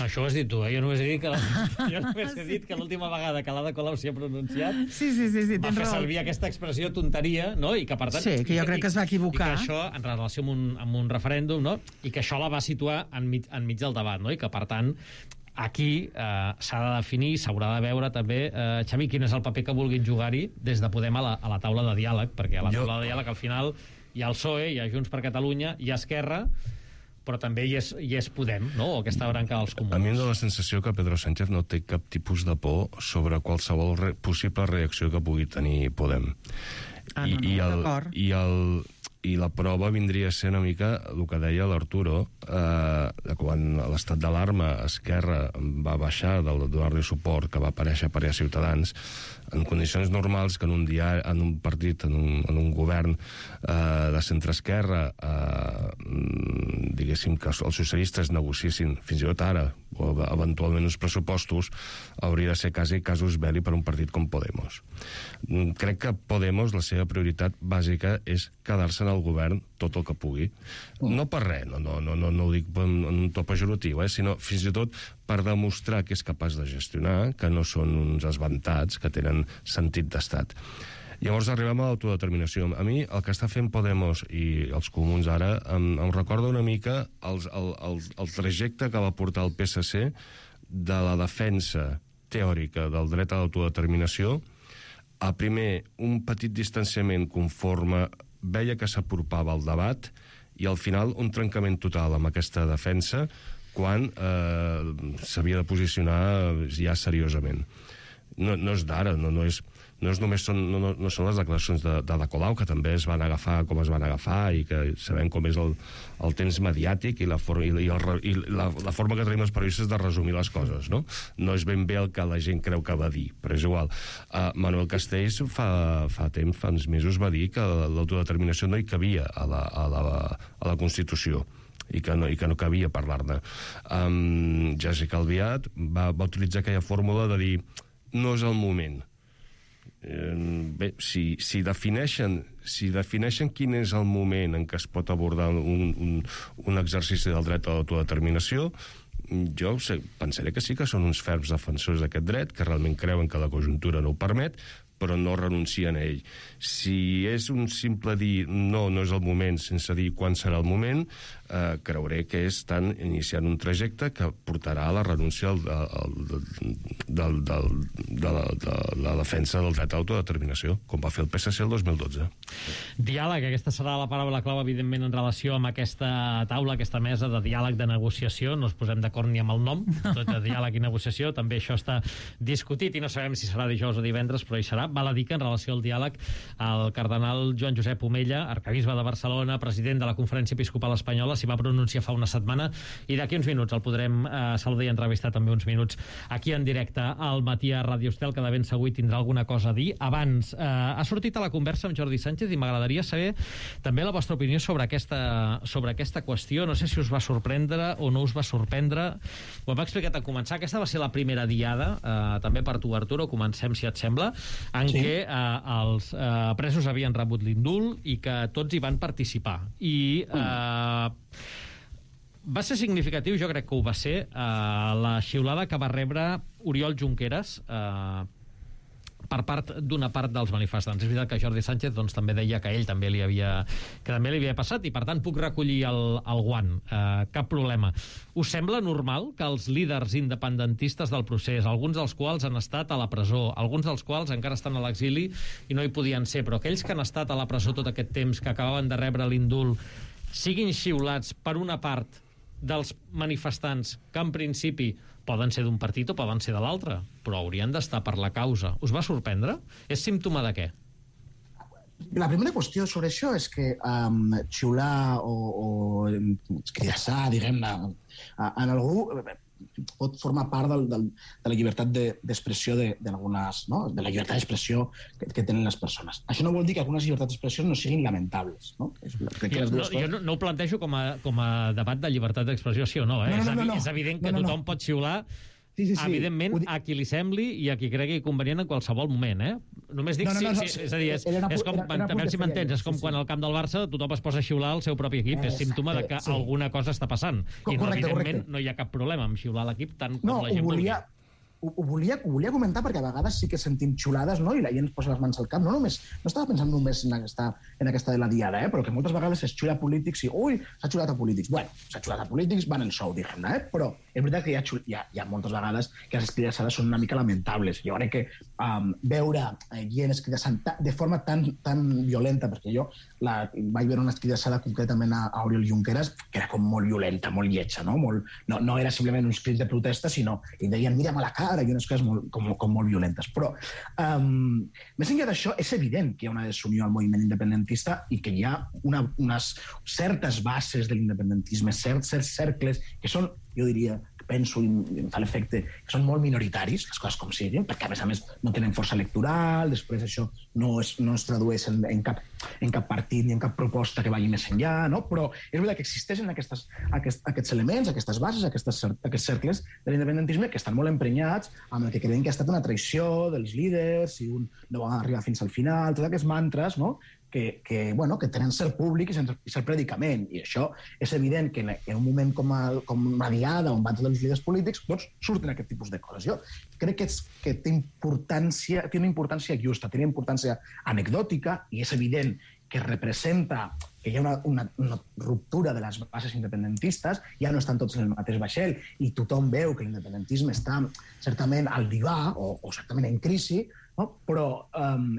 Això ho has dit tu, Jo només he dit que l'última vegada que l'Ada Colau s'hi ha pronunciat va fer servir aquesta expressió tonteria, no? I que per tant... Sí, que jo crec que es va equivocar. I que això, en relació amb un referèndum, no? I que això la va situar enmig del debat, no? I que per tant aquí s'ha de definir, s'haurà de veure també, Xavi, quin és el paper que vulguin jugar-hi des de Podem a la taula de diàleg, perquè a la taula de diàleg al final hi ha el PSOE, hi ha Junts per Catalunya, hi ha Esquerra, però també hi és Podem, no? O aquesta branca dels comuns. A mi em dóna la sensació que Pedro Sánchez no té cap tipus de por sobre qualsevol possible reacció que pugui tenir Podem. I la prova vindria a ser una mica el que deia l'Arturo, quan l'estat d'alarma Esquerra va baixar de donar-li suport, que va aparèixer Ciutadans, en condicions normals que en un partit, en un govern de centre-esquerra, diguéssim que els socialistes negociessin fins i tot ara, o eventualment uns pressupostos, hauria de ser casus belli per un partit com Podemos. Crec que Podemos, la seva prioritat bàsica és quedar-se en el govern tot el que pugui. No per res, no ho dic en un to pejoratiu, sinó fins i tot per demostrar que és capaç de gestionar, que no són uns esventats, que tenen sentit d'estat. Llavors arribem a l'autodeterminació. A mi el que està fent Podemos i els comuns ara em recorda una mica el trajecte que va portar el PSC de la defensa teòrica del dret a l'autodeterminació a primer un petit distanciament conforme veia que s'apropava el debat i al final un trencament total amb aquesta defensa quan s'havia de posicionar ja seriosament. No és d'ara, no són les declaracions d'Ada Colau, que també es van agafar com es van agafar i que sabem com és el temps mediàtic i la forma que tenim els periodistes de resumir les coses, no? No és ben bé el que la gent creu que va dir, però és igual. Manuel Castells fa uns mesos va dir que l'autodeterminació no hi cabia a la Constitució i que no cabia parlar-ne. Jessica Albiach va utilitzar aquella fórmula de dir no és el moment. Bé, si defineixen quin és el moment en què es pot abordar un exercici del dret a l'autodeterminació, jo pensaré que sí que són uns ferms defensors d'aquest dret, que realment creuen que la conjuntura no ho permet, però no renuncien a ell. Si és un simple dir no és el moment sense dir quan serà el moment, creuré que estan iniciant un trajecte que portarà a la renúncia de la defensa del dret a l'autodeterminació, com va fer el PSC el 2012. Diàleg, aquesta serà la paraula clau, evidentment, en relació amb aquesta taula, aquesta mesa de diàleg, de negociació. No es posem d'acord ni amb el nom, tot de diàleg i negociació. També això està discutit i no sabem si serà dijous o divendres, però hi serà. Val a dir que en relació al diàleg, el cardenal Joan Josep Omella, arquebisbe de Barcelona, president de la Conferència Episcopal Espanyola, sembla, s'hi va pronunciar fa una setmana, i d'aquí uns minuts el podrem saludar i entrevistar també uns minuts aquí en directe al Matí a Ràdio Estel, que de ben segur tindrà alguna cosa a dir. Abans, ha sortit a la conversa amb Jordi Sánchez i m'agradaria saber també la vostra opinió sobre aquesta qüestió. No sé si us va sorprendre o no us va sorprendre. Ho hem explicat a començar. Aquesta va ser la primera diada, també per tu, Arturo, comencem, si et sembla, en què els presos havien rebut l'indult i que tots hi van participar. I va ser significatiu, jo crec que ho va ser, la xiulada que va rebre Oriol Junqueras per part d'una part dels manifestants. És veritat que Jordi Sánchez doncs, també deia que ell també li havia passat i, per tant, puc recollir el guant. Cap problema. Us sembla normal que els líders independentistes del procés, alguns dels quals han estat a la presó, alguns dels quals encara estan a l'exili i no hi podien ser, però aquells que han estat a la presó tot aquest temps, que acabaven de rebre l'indult, siguin xiulats per una part dels manifestants que en principi poden ser d'un partit o poden ser de l'altre, però haurien d'estar per la causa. Us va sorprendre? És símptoma de què? La primera qüestió sobre això és que xiular o escridassar, diguem-ne, en algú pot formar part de la llibertat d'expressió d'algunes, no? De la llibertat d'expressió que tenen les persones. Això no vol dir que algunes llibertats d'expressió no siguin lamentables, no? Jo no ho plantejo com a debat de llibertat d'expressió, sí o no, eh? És evident que tothom pot xiular, evidentment, a qui li sembli i a qui cregui convenient en qualsevol moment, eh? Només dic és a dir, és com, també si m'entens, és com quan al camp del Barça tothom es posa a xiular al seu propi equip, és símptoma de que alguna cosa està passant, i evidentment no hi ha cap problema amb xiular l'equip tant com la gent vulgui. Ho volia comentar perquè a vegades sí que sentim xiulades, no? I la gent es posa les mans al cap. No estava pensant només en aquesta de la diada, però que moltes vegades es xiula a polítics i ui, s'ha xiulat a polítics. Bueno, s'ha xiulat a polítics, van en sou, diguem-ne, però és veritat que hi ha moltes vegades que les escridassades són una mica lamentables. Jo crec que veure gent escridassant de forma tan violenta, perquè jo vaig veure una escridassada concretament a Oriol Junqueras que era com molt violenta, molt lletja, no? No era simplement uns crits de protesta, sinó que deien mira'm a la cara i unes coses com molt violentes. Però, més enllà d'això, és evident que hi ha una desunió al moviment independentista i que hi ha unes certes bases de l'independentisme, certs cercles que són, jo diria, penso i em fa l'efecte que són molt minoritaris, les coses com siguin, perquè a més no tenen força electoral, després això no es tradueix en cap partit ni en cap proposta que vagi més enllà, no? Però és veritat que existeixen aquests elements, aquestes bases, aquests cercles de l'independentisme que estan molt emprenyats amb el que creiem que ha estat una traïció dels líders, si un no va arribar fins al final, tots aquests mantres, no? Que tenen cert públic i cert predicament. I això és evident que en un moment com una diada on van tots els líders polítics, doncs surten aquest tipus de coses. Jo crec que té una importància justa, té una importància anecdòtica i és evident que representa que hi ha una ruptura de les bases independentistes, ja no estan tots en el mateix vaixell i tothom veu que l'independentisme està certament al divà o certament en crisi, no? Però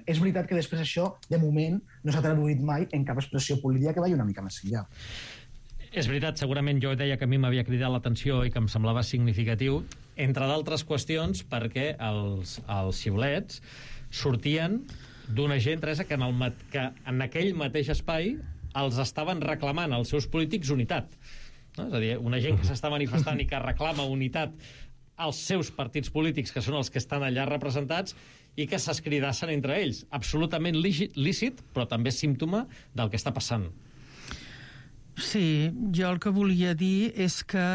és veritat que després això, de moment, no s'ha traduït mai en cap expressió política que vagi una mica més enllà. És veritat, segurament jo deia que a mi m'havia cridat l'atenció i que em semblava significatiu, entre d'altres qüestions, perquè els xiulets sortien d'una gent, Teresa, que en aquell mateix espai els estaven reclamant als seus polítics unitat. No? És a dir, una gent que s'està manifestant i que reclama unitat als seus partits polítics, que són els que estan allà representats, i que s'escridassen entre ells. Absolutament lícit, però també símptoma del que està passant. Sí, jo el que volia dir és que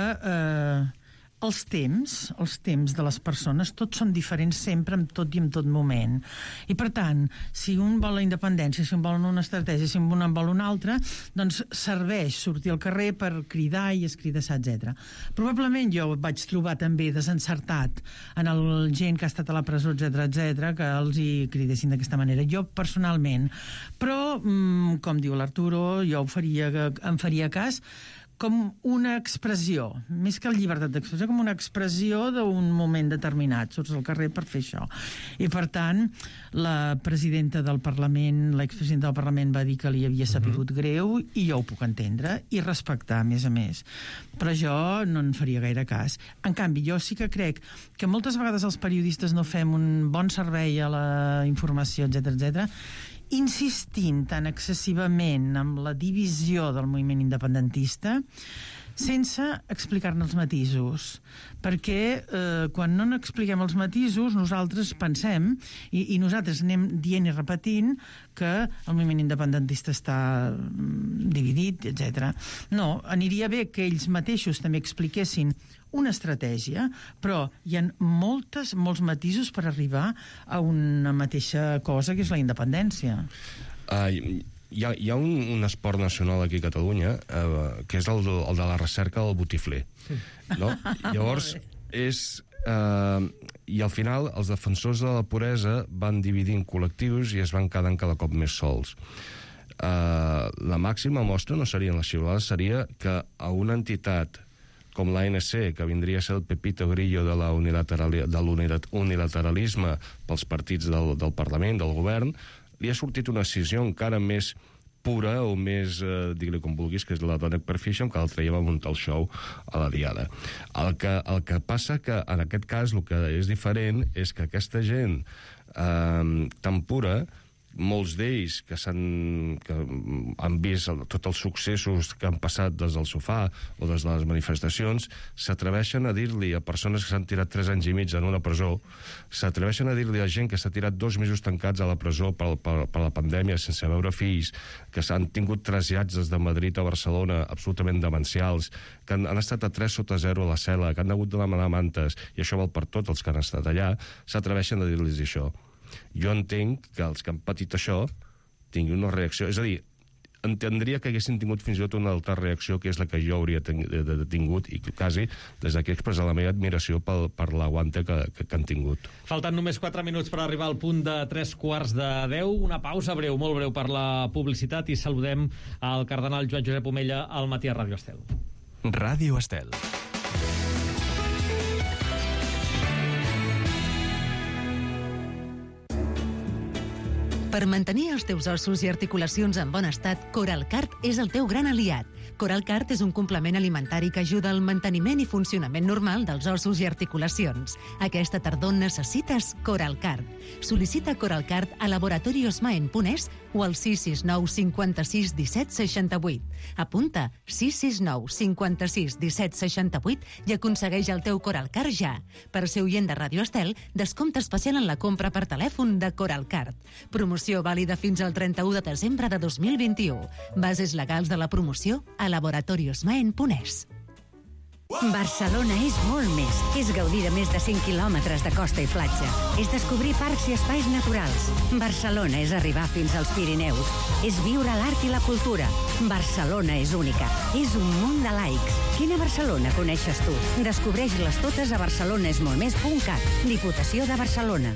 els temps de les persones, tots són diferents sempre, en tot i en tot moment. I, per tant, si un vol la independència, si un vol una estratègia, si un en vol una altra, doncs serveix sortir al carrer per cridar i escridassar, etc. Probablement jo vaig trobar també desencertat en el gent que ha estat a la presó, etc, que els hi cridessin d'aquesta manera. Jo, personalment. Però, com diu l'Arturo, jo em faria cas com una expressió, més que la llibertat d'expressió, com una expressió d'un moment determinat. Surts al carrer per fer això. I, per tant, la presidenta del Parlament, l'expresidenta del Parlament va dir que li havia sabut greu i jo ho puc entendre i respectar, a més a més. Però jo no en faria gaire cas. En canvi, jo sí que crec que moltes vegades els periodistes no fem un bon servei a la informació, etc, insistint tan excessivament amb la divisió del moviment independentista sense explicar-ne els matisos. Perquè quan no n'expliquem els matisos, nosaltres pensem, i nosaltres anem dient i repetint, que el moviment independentista està dividit, etc. No, aniria bé que ells mateixos també expliquessin una estratègia, però hi ha molts matisos per arribar a una mateixa cosa, que és la independència. Hi ha un esport nacional aquí a Catalunya que és el de la recerca del botifler. No? Llavors, i al final els defensors de la puresa van dividint col·lectius i es van quedant cada cop més sols. La màxima mostra no serien les xiulades, seria que a una entitat com l'ANC, que vindria a ser el Pepito Grillo de l'unilateralisme pels partits del Parlament, del govern, li ha sortit una decisió encara més pura o més, digue-li com vulguis, que és la Dominic Perfish, que el traiem a muntar el show a la Diada. El que passa que en aquest cas el que és diferent és que aquesta gent tan pura, molts d'ells que han vist tots els successos que han passat des del sofà o des de les manifestacions, s'atreveixen a dir-li a persones que s'han tirat 3 anys i mig en una presó, s'atreveixen a dir-li a gent que s'ha tirat 2 mesos tancats a la presó per la pandèmia sense veure fills, que s'han tingut trasllats des de Madrid a Barcelona absolutament demencials, que han estat a 3 sota 0 a la cel·la, que han hagut de demanar mantes, i això val per tots els que han estat allà, s'atreveixen a dir-los això. Jo entenc que els que han patit això tinguin una reacció, és a dir, entendria que haguessin tingut fins i tot una altra reacció, que és la que jo hauria tingut, i quasi des d'aquí expressar la meva admiració per l'aguante que han tingut. Falten només 4 minuts per arribar al punt de 9:45. Una pausa breu, molt breu, per la publicitat, i saludem al cardenal Joan Josep Omella al matí a Ràdio Estel. Ràdio Estel. Per mantenir els teus ossos i articulacions en bon estat, Coralcart és el teu gran aliat. Coralcart és un complement alimentari que ajuda al manteniment i funcionament normal dels ossos i articulacions. Aquesta tardor necessites Coralcart. Sol·licita Coralcart a laboratoriosmaen.es o al 669 56 17 68. Apunta 669 56 17 68 i aconsegueix el teu Coralcart ja. Per ser oient de Ràdio Estel, descompte especial en la compra per telèfon de Coralcart. Promoció vàlida fins al 31 de desembre de 2021. Bases legals de la promoció a laboratoriosmaen.es. Barcelona és molt més. És gaudir de més de 5 quilòmetres de costa i platja. És descobrir parcs i espais naturals. Barcelona és arribar fins als Pirineus. És viure l'art i la cultura. Barcelona és única. És un munt de laics. Quina Barcelona coneixes tu? Descobreix-les totes a barcelonesmoltmés.cat. Diputació de Barcelona.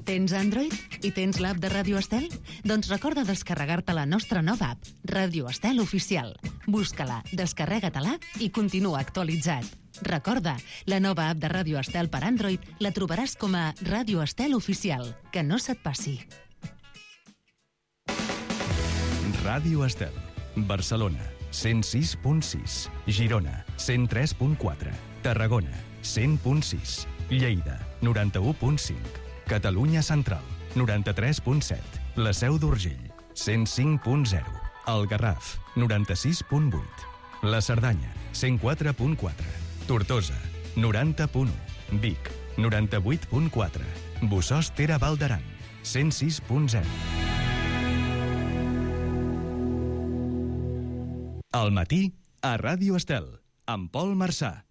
Tens Android i tens l'app de Ràdio Estel? Doncs recorda descarregar-te la nostra nova app, Ràdio Estel Oficial. Busca-la, descarrega-te-la i continua actualitzat. Recorda, la nova app de Ràdio Estel per Android la trobaràs com a Ràdio Estel Oficial. Que no se't passi. Ràdio Estel. Barcelona, 106.6. Girona, 103.4. Tarragona, 100.6. Lleida, 91.5. Catalunya Central, 93.7. La Seu d'Urgell, 105.0. El Garraf, 96.8. La Cerdanya, 104.4. Tortosa, 90.1. Vic, 98.4. Bossòst-Tere Val d'Aran, 106.0. Al matí, a Ràdio Estel, amb Pol Marçà.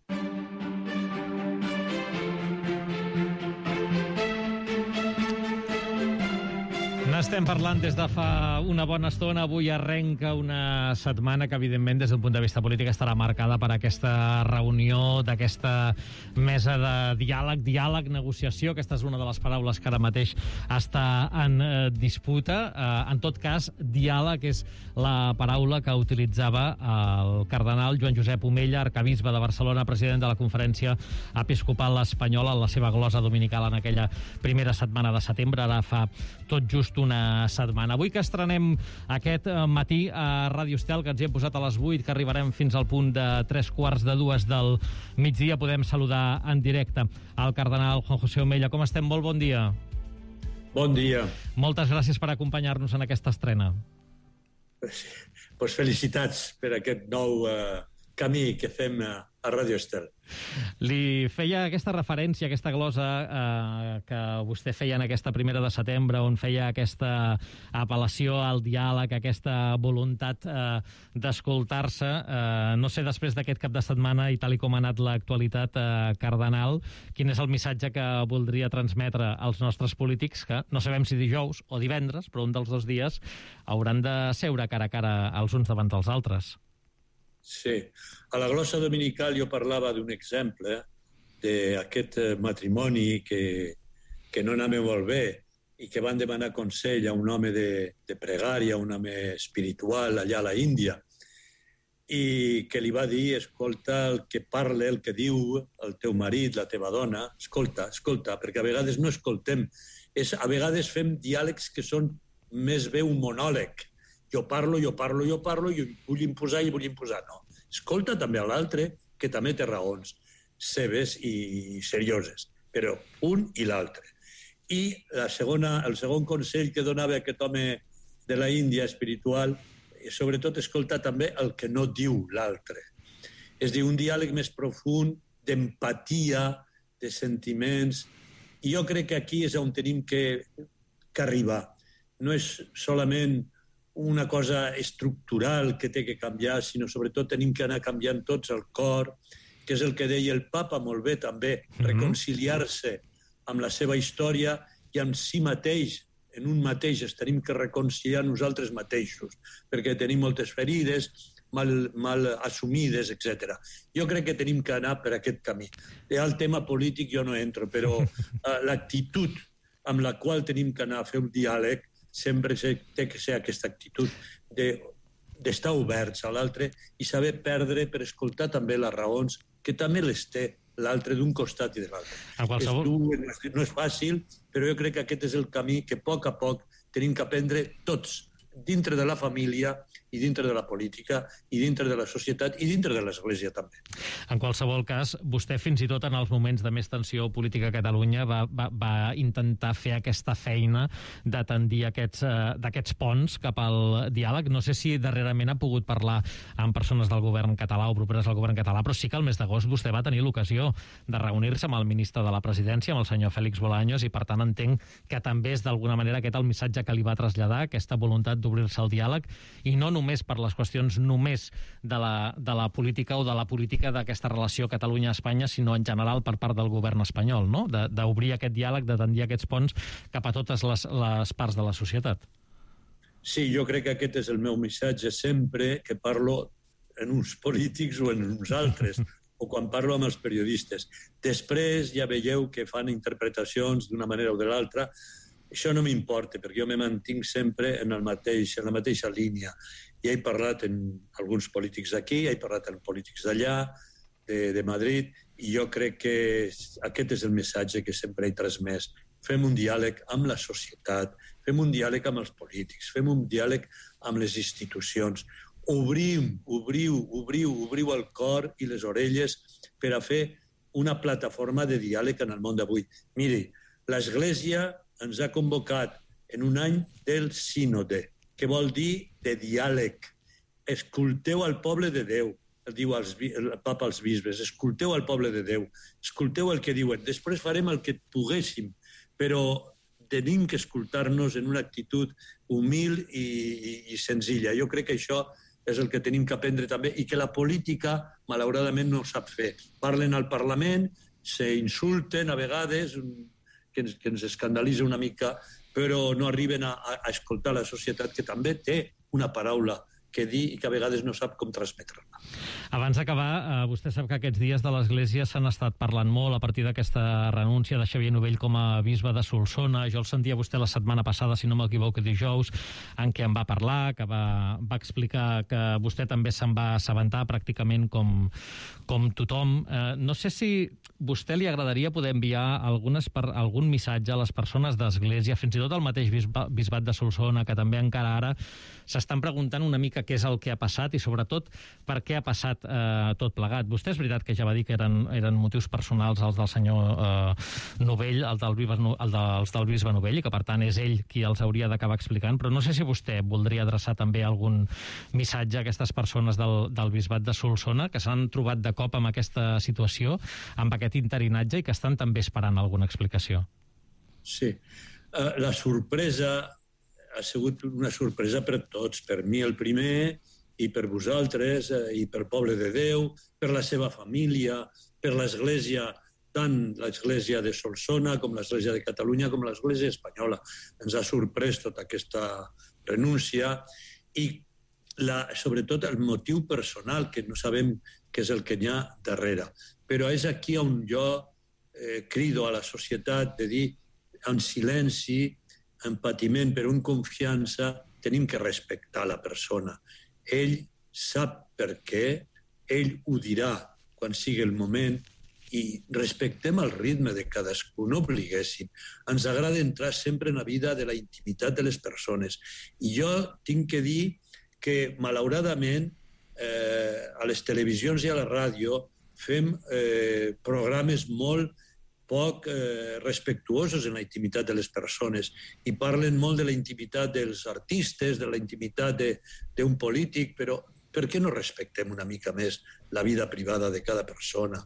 N'estem parlant des de fa una bona estona. Avui arrenca una setmana que, evidentment, des d'un punt de vista polític estarà marcada per aquesta reunió d'aquesta mesa de diàleg, negociació. Aquesta és una de les paraules que ara mateix està en disputa. En tot cas, diàleg és la paraula que utilitzava el cardenal Joan Josep Omella, arcabisbe de Barcelona, president de la Conferència Episcopal Espanyola, en la seva glosa dominical en aquella primera setmana de setembre, ara fa tot just una setmana. Avui que estrenem aquest matí a Ràdio Estel, que ens hi hem posat a les 8, que arribarem fins al punt de 3:45 del migdia, podem saludar en directe al cardenal Juan José Omella. Com estem? Molt bon dia. Bon dia. Moltes gràcies per acompanyar-nos en aquesta estrena. Pues felicitats per aquest nou camí que fem a Ràdio Estel. Li feia aquesta referència, aquesta glosa que vostè feia en aquesta 1 de setembre, on feia aquesta apel·lació al diàleg, aquesta voluntat d'escoltar-se. No sé, després d'aquest cap de setmana i tal com ha anat l'actualitat cardenal, quin és el missatge que voldria transmetre als nostres polítics, que no sabem si dijous o divendres, però un dels 2 dies hauran de seure cara a cara els uns davant dels altres. Sí. A la glossa dominical jo parlava d'un exemple d'aquest matrimoni que no anava molt bé i que van demanar consell a un home de pregària, un home espiritual allà a la Índia, i que li va dir, escolta, el que parla, el que diu el teu marit, la teva dona, escolta, perquè a vegades no escoltem. A vegades fem diàlegs que són més bé un monòleg. Jo parlo, i vull imposar. No. Escolta també a l'altre, que també té raons seves i serioses, però un i l'altre. I el segon consell que donava aquest home de la Índia espiritual, sobretot escoltar també el que no diu l'altre. És a dir, un diàleg més profund, d'empatia, de sentiments. I jo crec que aquí és on tenim que arribar. No és solament una cosa estructural que té que canviar, sinó sobretot tenim que anar canviant tots el cor, que és el que deia el papa molt bé també, reconciliar-se amb la seva història i amb si mateix, en un mateix es tenim que reconciliar nosaltres mateixos, perquè tenim moltes ferides, mal assumides, etc. Jo crec que tenim que anar per aquest camí. Al tema polític jo no entro, però l'actitud amb la qual tenim que anar a fer un diàleg sempre té que ser aquesta actitud d'estar oberts a l'altre i saber perdre per escoltar també les raons, que també les té l'altre d'un costat i de l'altre. No és fàcil, però jo crec que aquest és el camí que a poc tenim que aprendre tots, dintre de la família i dintre de la política i dintre de la societat i dintre de l'Església també. En qualsevol cas, vostè fins i tot en els moments de més tensió política a Catalunya va intentar fer aquesta feina de tendir d'aquests ponts cap al diàleg. No sé si darrerament ha pogut parlar amb persones del govern català o properes al govern català, però sí que el mes d'agost vostè va tenir l'ocasió de reunir-se amb el ministre de la Presidència, amb el senyor Félix Bolaños, i per tant entenc que també és d'alguna manera aquest el missatge que li va traslladar, aquesta voluntat d'obrir-se al diàleg, i no només per les qüestions només de la política o de la política d'aquesta relació Catalunya-Espanya, sinó en general per part del govern espanyol, no? D'obrir aquest diàleg, de tendir aquests ponts cap a totes les parts de la societat. Sí, jo crec que aquest és el meu missatge sempre que parlo en uns polítics o en uns altres, o quan parlo amb els periodistes. Després ja veieu que fan interpretacions d'una manera o de l'altra. Això no m'importa, perquè jo me mantinc sempre en la mateixa línia. Ja he parlat amb alguns polítics d'aquí, ja he parlat amb polítics d'allà, de Madrid, i jo crec que aquest és el missatge que sempre he transmès. Fem un diàleg amb la societat, fem un diàleg amb els polítics, fem un diàleg amb les institucions. Obriu el cor i les orelles per a fer una plataforma de diàleg en el món d'avui. Miri, l'Església ens ha convocat en un any del sínode, que vol dir de diàleg. Escolteu al poble de Déu, diu el papa als bisbes, escolteu al poble de Déu, escolteu el que diuen. Després farem el que poguéssim, però tenim que escoltar-nos en una actitud humil i senzilla. Jo crec que això és el que tenim que aprendre també i que la política, malauradament, no sap fer. Parlen al Parlament, s'insulten a vegades, que ens escandalitza una mica, però no arriben a escoltar la societat, que també té una paraula que dir i que a vegades no sap com transmetre-la. Abans d'acabar, vostè sap que aquests dies de l'Església s'han estat parlant molt a partir d'aquesta renúncia de Xavier Novell com a bisbe de Solsona. Jo el sentia vostè la setmana passada, si no m'equivoco, dijous, en què em va parlar, que va explicar que vostè també se'n va assabentar pràcticament com tothom. No sé si vostè li agradaria poder enviar algun missatge a les persones d'Església, fins i tot al mateix bisbat de Solsona, que també encara ara s'estan preguntant una mica què és el que ha passat i sobretot per què ha passat tot plegat. Vostè és veritat que ja va dir que eren motius personals els del senyor Novell, els del bisbe Novell, i que per tant és ell qui els hauria d'acabar explicant, però no sé si vostè voldria adreçar també algun missatge a aquestes persones del bisbat de Solsona que s'han trobat de cop amb aquesta situació, amb aquest interinatge, i que estan també esperant alguna explicació. Sí. La sorpresa ha sigut una sorpresa per tots, per mi el primer, i per vosaltres, i per poble de Déu, per la seva família, per l'Església, tant l'Església de Solsona com l'Església de Catalunya com l'Església espanyola. Ens ha sorprès tota aquesta renúncia i sobretot el motiu personal, que no sabem què és el que hi ha darrere. Però és aquí on jo crido a la societat de dir en silenci, en patiment, però en confiança, tenim que respectar la persona. Ell sap per què, ell ho dirà quan sigui el moment, i respectem el ritme de cadascú, no obliguéssim. Ens agrada entrar sempre en la vida de la intimitat de les persones. I jo tinc que dir que, malauradament, a les televisions i a la ràdio fem programes molt poc respectuosos en la intimitat de les persones i parlen molt de la intimitat dels artistes, de la intimitat d'un polític, però per què no respectem una mica més la vida privada de cada persona?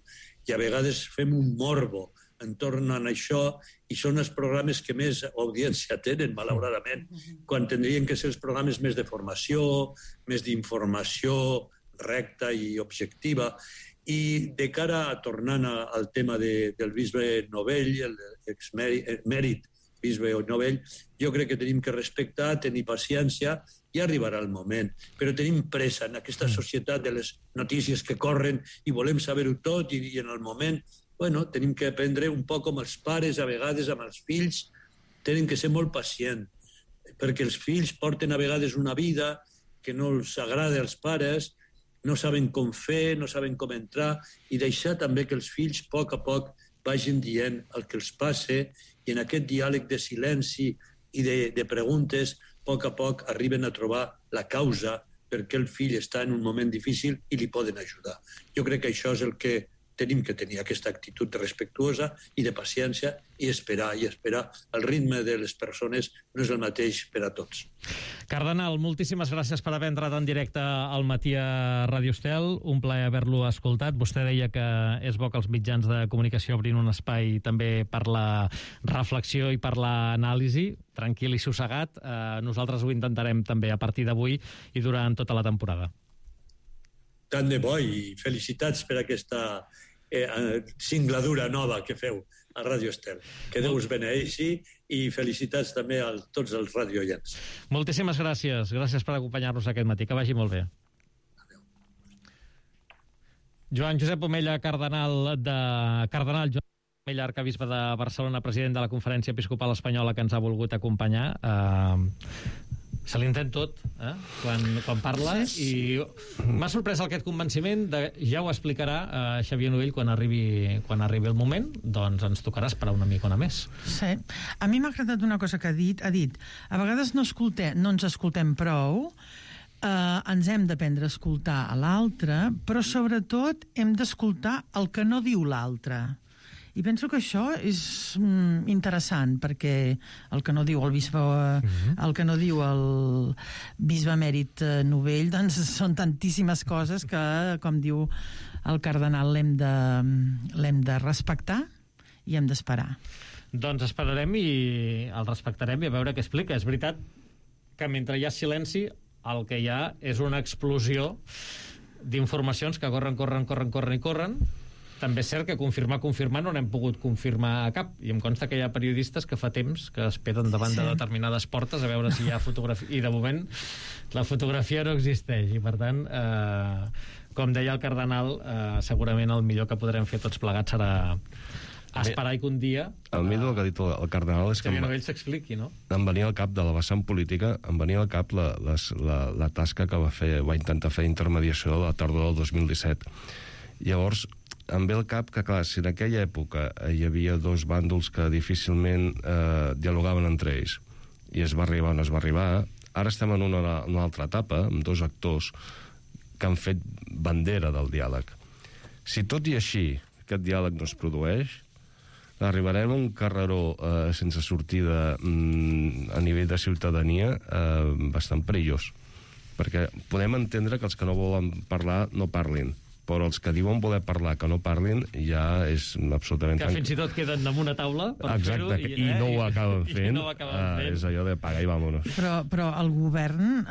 I a vegades fem un morbo entorn a això i són els programes que més audiència tenen, malauradament, quan tindrien que ser els programes més de formació, més d'informació recta i objectiva. I de cara a tornant al tema del bisbe Novell, l'exmèrit bisbe Novell, jo crec que tenim que respectar, tenir paciència i arribarà el moment. Però tenim pressa en aquesta societat de les notícies que corren i volem saber-ho tot i en el moment, bueno, tenim que aprendre un poc com els pares, a vegades amb els fills, tenen que ser molt pacients, perquè els fills porten a vegades una vida que no els agrada als pares, no saben com fer, no saben com entrar, i deixar també que els fills, a poc, vagin dient el que els passa, i en aquest diàleg de silenci i de preguntes, a poc arriben a trobar la causa perquè el fill està en un moment difícil i li poden ajudar. Jo crec que això és el que tenim que tenir, aquesta actitud respectuosa i de paciència i esperar. El ritme de les persones no és el mateix per a tots. Cardenal, moltíssimes gràcies per haver entrat en directe al Matí a Ràdio Estel. Un plaer haver-lo escoltat. Vostè deia que és bo que els mitjans de comunicació obrin un espai també per la reflexió i per l'anàlisi. Tranquil i sossegat. Nosaltres ho intentarem també a partir d'avui i durant tota la temporada. Tant de bo i felicitats per aquesta singladura nova que feu a Ràdio Estel. Que Déu us beneeixi i felicitats també a tots els radiooients. Moltíssimes gràcies. Gràcies per acompanyar-nos aquest matí. Que vagi molt bé. Adéu. Joan Josep Omella, cardenal Joan Omella, arcabisbe de Barcelona, president de la Conferència Episcopal Espanyola, que ens ha volgut acompanyar. Se l'entén tot, quan parla, sí. I m'ha sorprès aquest convenciment de, ja ho explicarà Xavier Novell quan arribi el moment, doncs ens tocarà esperar una micona més. Sí. A mi m'ha agradat una cosa que ha dit, a vegades no ens escoltem prou, ens hem d'aprendre a escoltar a l'altre, però sobretot hem d'escoltar el que no diu l'altre. I penso que això és interessant, perquè el que no diu el bisbe, el que no diu el bisbe emèrit Novell, doncs són tantíssimes coses que, com diu el cardenal, l'hem de respectar i hem d'esperar. Doncs esperarem i el respectarem i a veure què explica. És veritat que mentre hi ha silenci, el que hi ha és una explosió d'informacions que corren. També és cert que confirmar no n'hem pogut confirmar a cap, i em consta que hi ha periodistes que fa temps que esperen davant de determinades portes a veure si hi ha fotografia, i de moment la fotografia no existeix, i per tant com deia el cardenal, segurament el millor que podrem fer tots plegats serà esperar i que un dia el millor que ha dit el cardenal és que Novell s'expliqui, no? Em venia al cap de la vessant política, em venia al cap la tasca que va intentar fer intermediació a la tardor del 2017. Llavors em ve al cap que, clar, si en aquella època hi havia dos bàndols que difícilment dialogaven entre ells, i es va arribar on es va arribar, ara estem en una altra etapa, amb dos actors que han fet bandera del diàleg. Si tot i així aquest diàleg no es produeix, arribarem a un carreró sense sortida a nivell de ciutadania bastant perillós, perquè podem entendre que els que no volen parlar no parlin, però els que diuen voler parlar que no parlin ja és absolutament... Que fins i tot queden en una taula per fer-ho. Exacte, i no ho acaben fent. És allò de paga i vámonos. Però el govern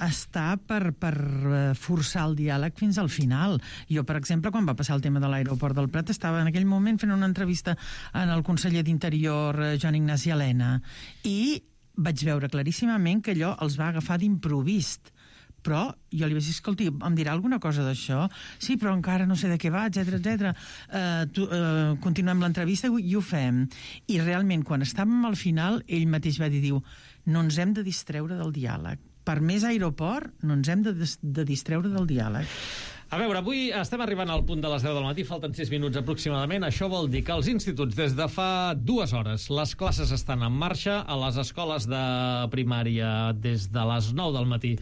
està per forçar el diàleg fins al final. Jo, per exemple, quan va passar el tema de l'aeroport del Prat, estava en aquell moment fent una entrevista en el conseller d'Interior, Joan Ignasi Elena, i vaig veure claríssimament que allò els va agafar d'improvist. Però jo li vaig dir, escolti, em dirà alguna cosa d'això? Sí, però encara no sé de què va, etcètera. Continuem l'entrevista i ho fem. I realment, quan estàvem al final, ell mateix va dir, no ens hem de distreure del diàleg. Per més aeroport, no ens hem de distreure del diàleg. A veure, avui estem arribant al punt de les 10 del matí, falten 6 minuts aproximadament. Això vol dir que als instituts, des de fa 2 hores, les classes estan en marxa. A les escoles de primària, des de les 9 del matí,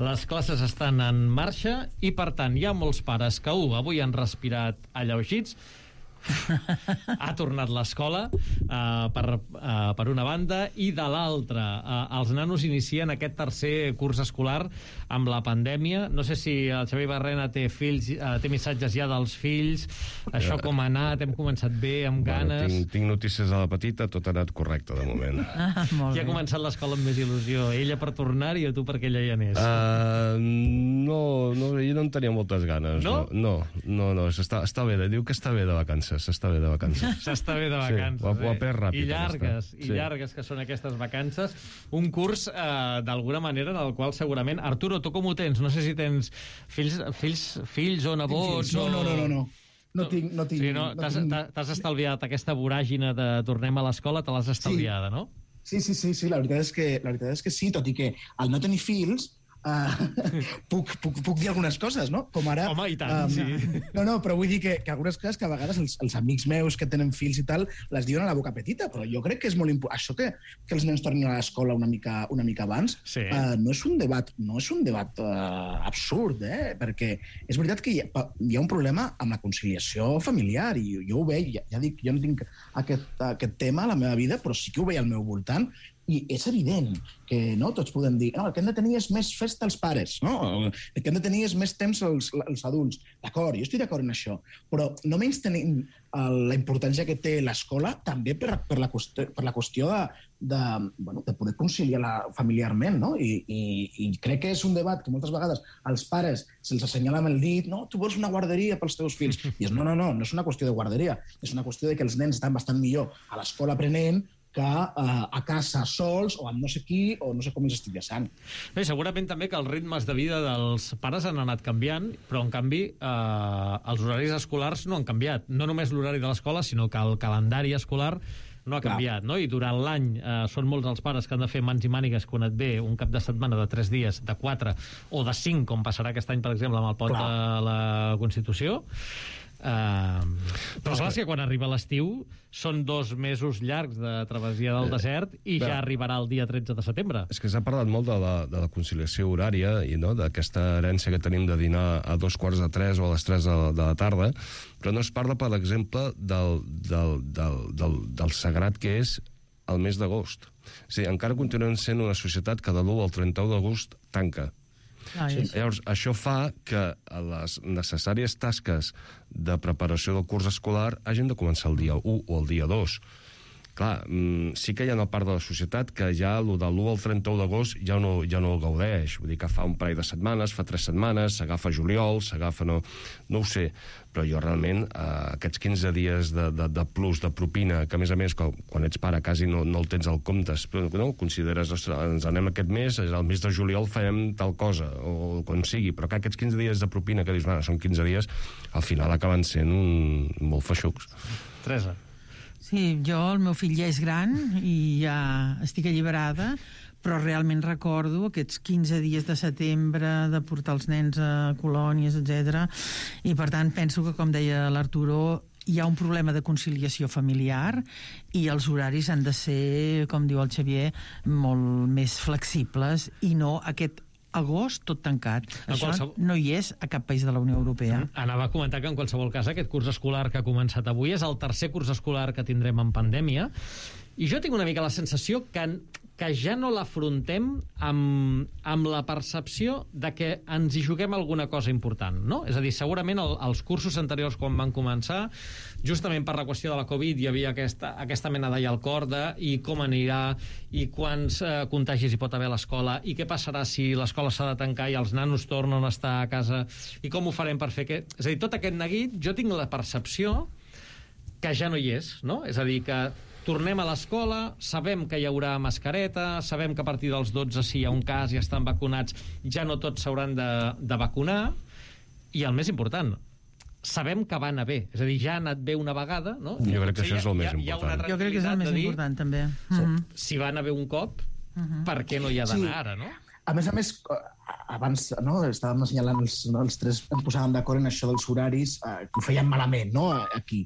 les classes estan en marxa i, per tant, hi ha molts pares que, avui han respirat alleugits, ha tornat l'escola per una banda, i de l'altra els nanos inicien aquest tercer curs escolar amb la pandèmia. No sé si el Xavier Barrena té fills, té missatges ja dels fills, això com ha anat, hem començat bé, amb ganes. Tinc notícies de la petita, tot ha anat correcte de moment. Qui ha començat l'escola amb més il·lusió? Ella per tornar-hi o tu perquè ella ja n'és? No, ella no en tenia moltes ganes. No, està bé, diu que està bé de vacances. S'està bé de vacances. S'està bé de vacances. Ho ha pres ràpid. I llargues que són aquestes vacances. Un curs, d'alguna manera, en el qual segurament... Arturo, tu com ho tens? No sé si tens fills o nebots... No. No tinc. Sí, t'has estalviat aquesta voràgina de tornem a l'escola, te l'has estalviada, no? Sí, la veritat és que sí, tot i que al no tenir fills puc dir algunes coses, no? Com ara... Home, i tant, sí. No, però vull dir que algunes coses que a vegades els amics meus que tenen fills i tal les diuen a la boca petita, però jo crec que és molt important. Això que els nens tornin a l'escola una mica abans no és un debat absurd, perquè és veritat que hi ha un problema amb la conciliació familiar, i jo ho veig, ja dic, jo no tinc aquest tema a la meva vida, però sí que ho veig al meu voltant. I és evident que tots podem dir el que hem de tenir és més festa als pares, el que hem de tenir és més temps als adults. D'acord, jo estic d'acord en això, però no menys tenim la importància que té l'escola també per la qüestió de poder conciliar familiarment, no? I crec que és un debat que moltes vegades als pares se'ls assenyala amb el dit, tu vols una guarderia pels teus fills. I no és una qüestió de guarderia, és una qüestió de que els nens estan bastant millor a l'escola aprenent que a casa sols o amb no sé qui o no sé com els estic deixant. Bé, segurament també que els ritmes de vida dels pares han anat canviant, però en canvi els horaris escolars no han canviat. No només l'horari de l'escola, sinó que el calendari escolar no ha canviat, no? I durant l'any són molts els pares que han de fer mans i mànigues quan et ve un cap de setmana de 3 dies, de 4 o de 5, com passarà aquest any, per exemple, amb el pont de la Constitució. Però clar, que quan arriba l'estiu són 2 mesos llargs de travessia del desert i ja arribarà el dia 13 de setembre. És que s'ha parlat molt de la conciliació horària i d'aquesta herència que tenim de dinar a 2:45 o a les 3 de la tarda, però no es parla, per exemple, del sagrat que és el mes d'agost. És a dir, encara continuem sent una societat que de l'1 al 31 d'agost tanca. Llavors, això fa que les necessàries tasques de preparació del curs escolar hagin de començar el dia 1 o el dia 2. Clar, sí que hi ha una part de la societat que ja de l'1 al 31 d'agost ja no el gaudeix. Vull dir que fa un parell de setmanes, fa 3 setmanes, s'agafa juliol, s'agafa... No ho sé, però jo realment aquests 15 dies de plus, de propina, que a més, quan ets pare quasi no el tens al compte, no? Consideres, ens anem aquest mes, el mes de juliol farem tal cosa, o quan sigui, però que aquests 15 dies de propina que dius, són 15 dies, al final acaben sent molt feixucs. Teresa. Sí, el meu fill ja és gran i ja estic alliberada, però realment recordo aquests 15 dies de setembre de portar els nens a colònies, etc. I per tant penso que, com deia l'Arturo, hi ha un problema de conciliació familiar i els horaris han de ser, com diu el Xavier, molt més flexibles i no aquest agost tot tancat. Això no hi és a cap país de la Unió Europea. Anava a comentar que en qualsevol cas aquest curs escolar que ha començat avui és el tercer curs escolar que tindrem en pandèmia i jo tinc una mica la sensació que ja no l'afrontem amb la percepció de que ens hi juguem alguna cosa important, no? És a dir, segurament els cursos anteriors quan van començar, justament per la qüestió de la Covid hi havia aquesta mena d'allà al cor i com anirà i quants contagis hi pot haver a l'escola i què passarà si l'escola s'ha de tancar i els nanos tornen a estar a casa i com ho farem per fer què... És a dir, tot aquest neguit, jo tinc la percepció que ja no hi és, no? És a dir, que tornem a l'escola, sabem que hi haurà mascareta, sabem que a partir dels 12, si hi ha un cas i estan vacunats, ja no tots s'hauran de vacunar, i el més important, sabem que va anar bé. És a dir, ja ha anat bé una vegada, no? Jo crec que això és el més important. Jo crec que és el més important, també. Si va anar bé un cop, per què no hi ha d'anar ara, no? A més, abans estàvem assenyalant els tres, em posàvem d'acord en això dels horaris, que ho feien malament, no?, aquí.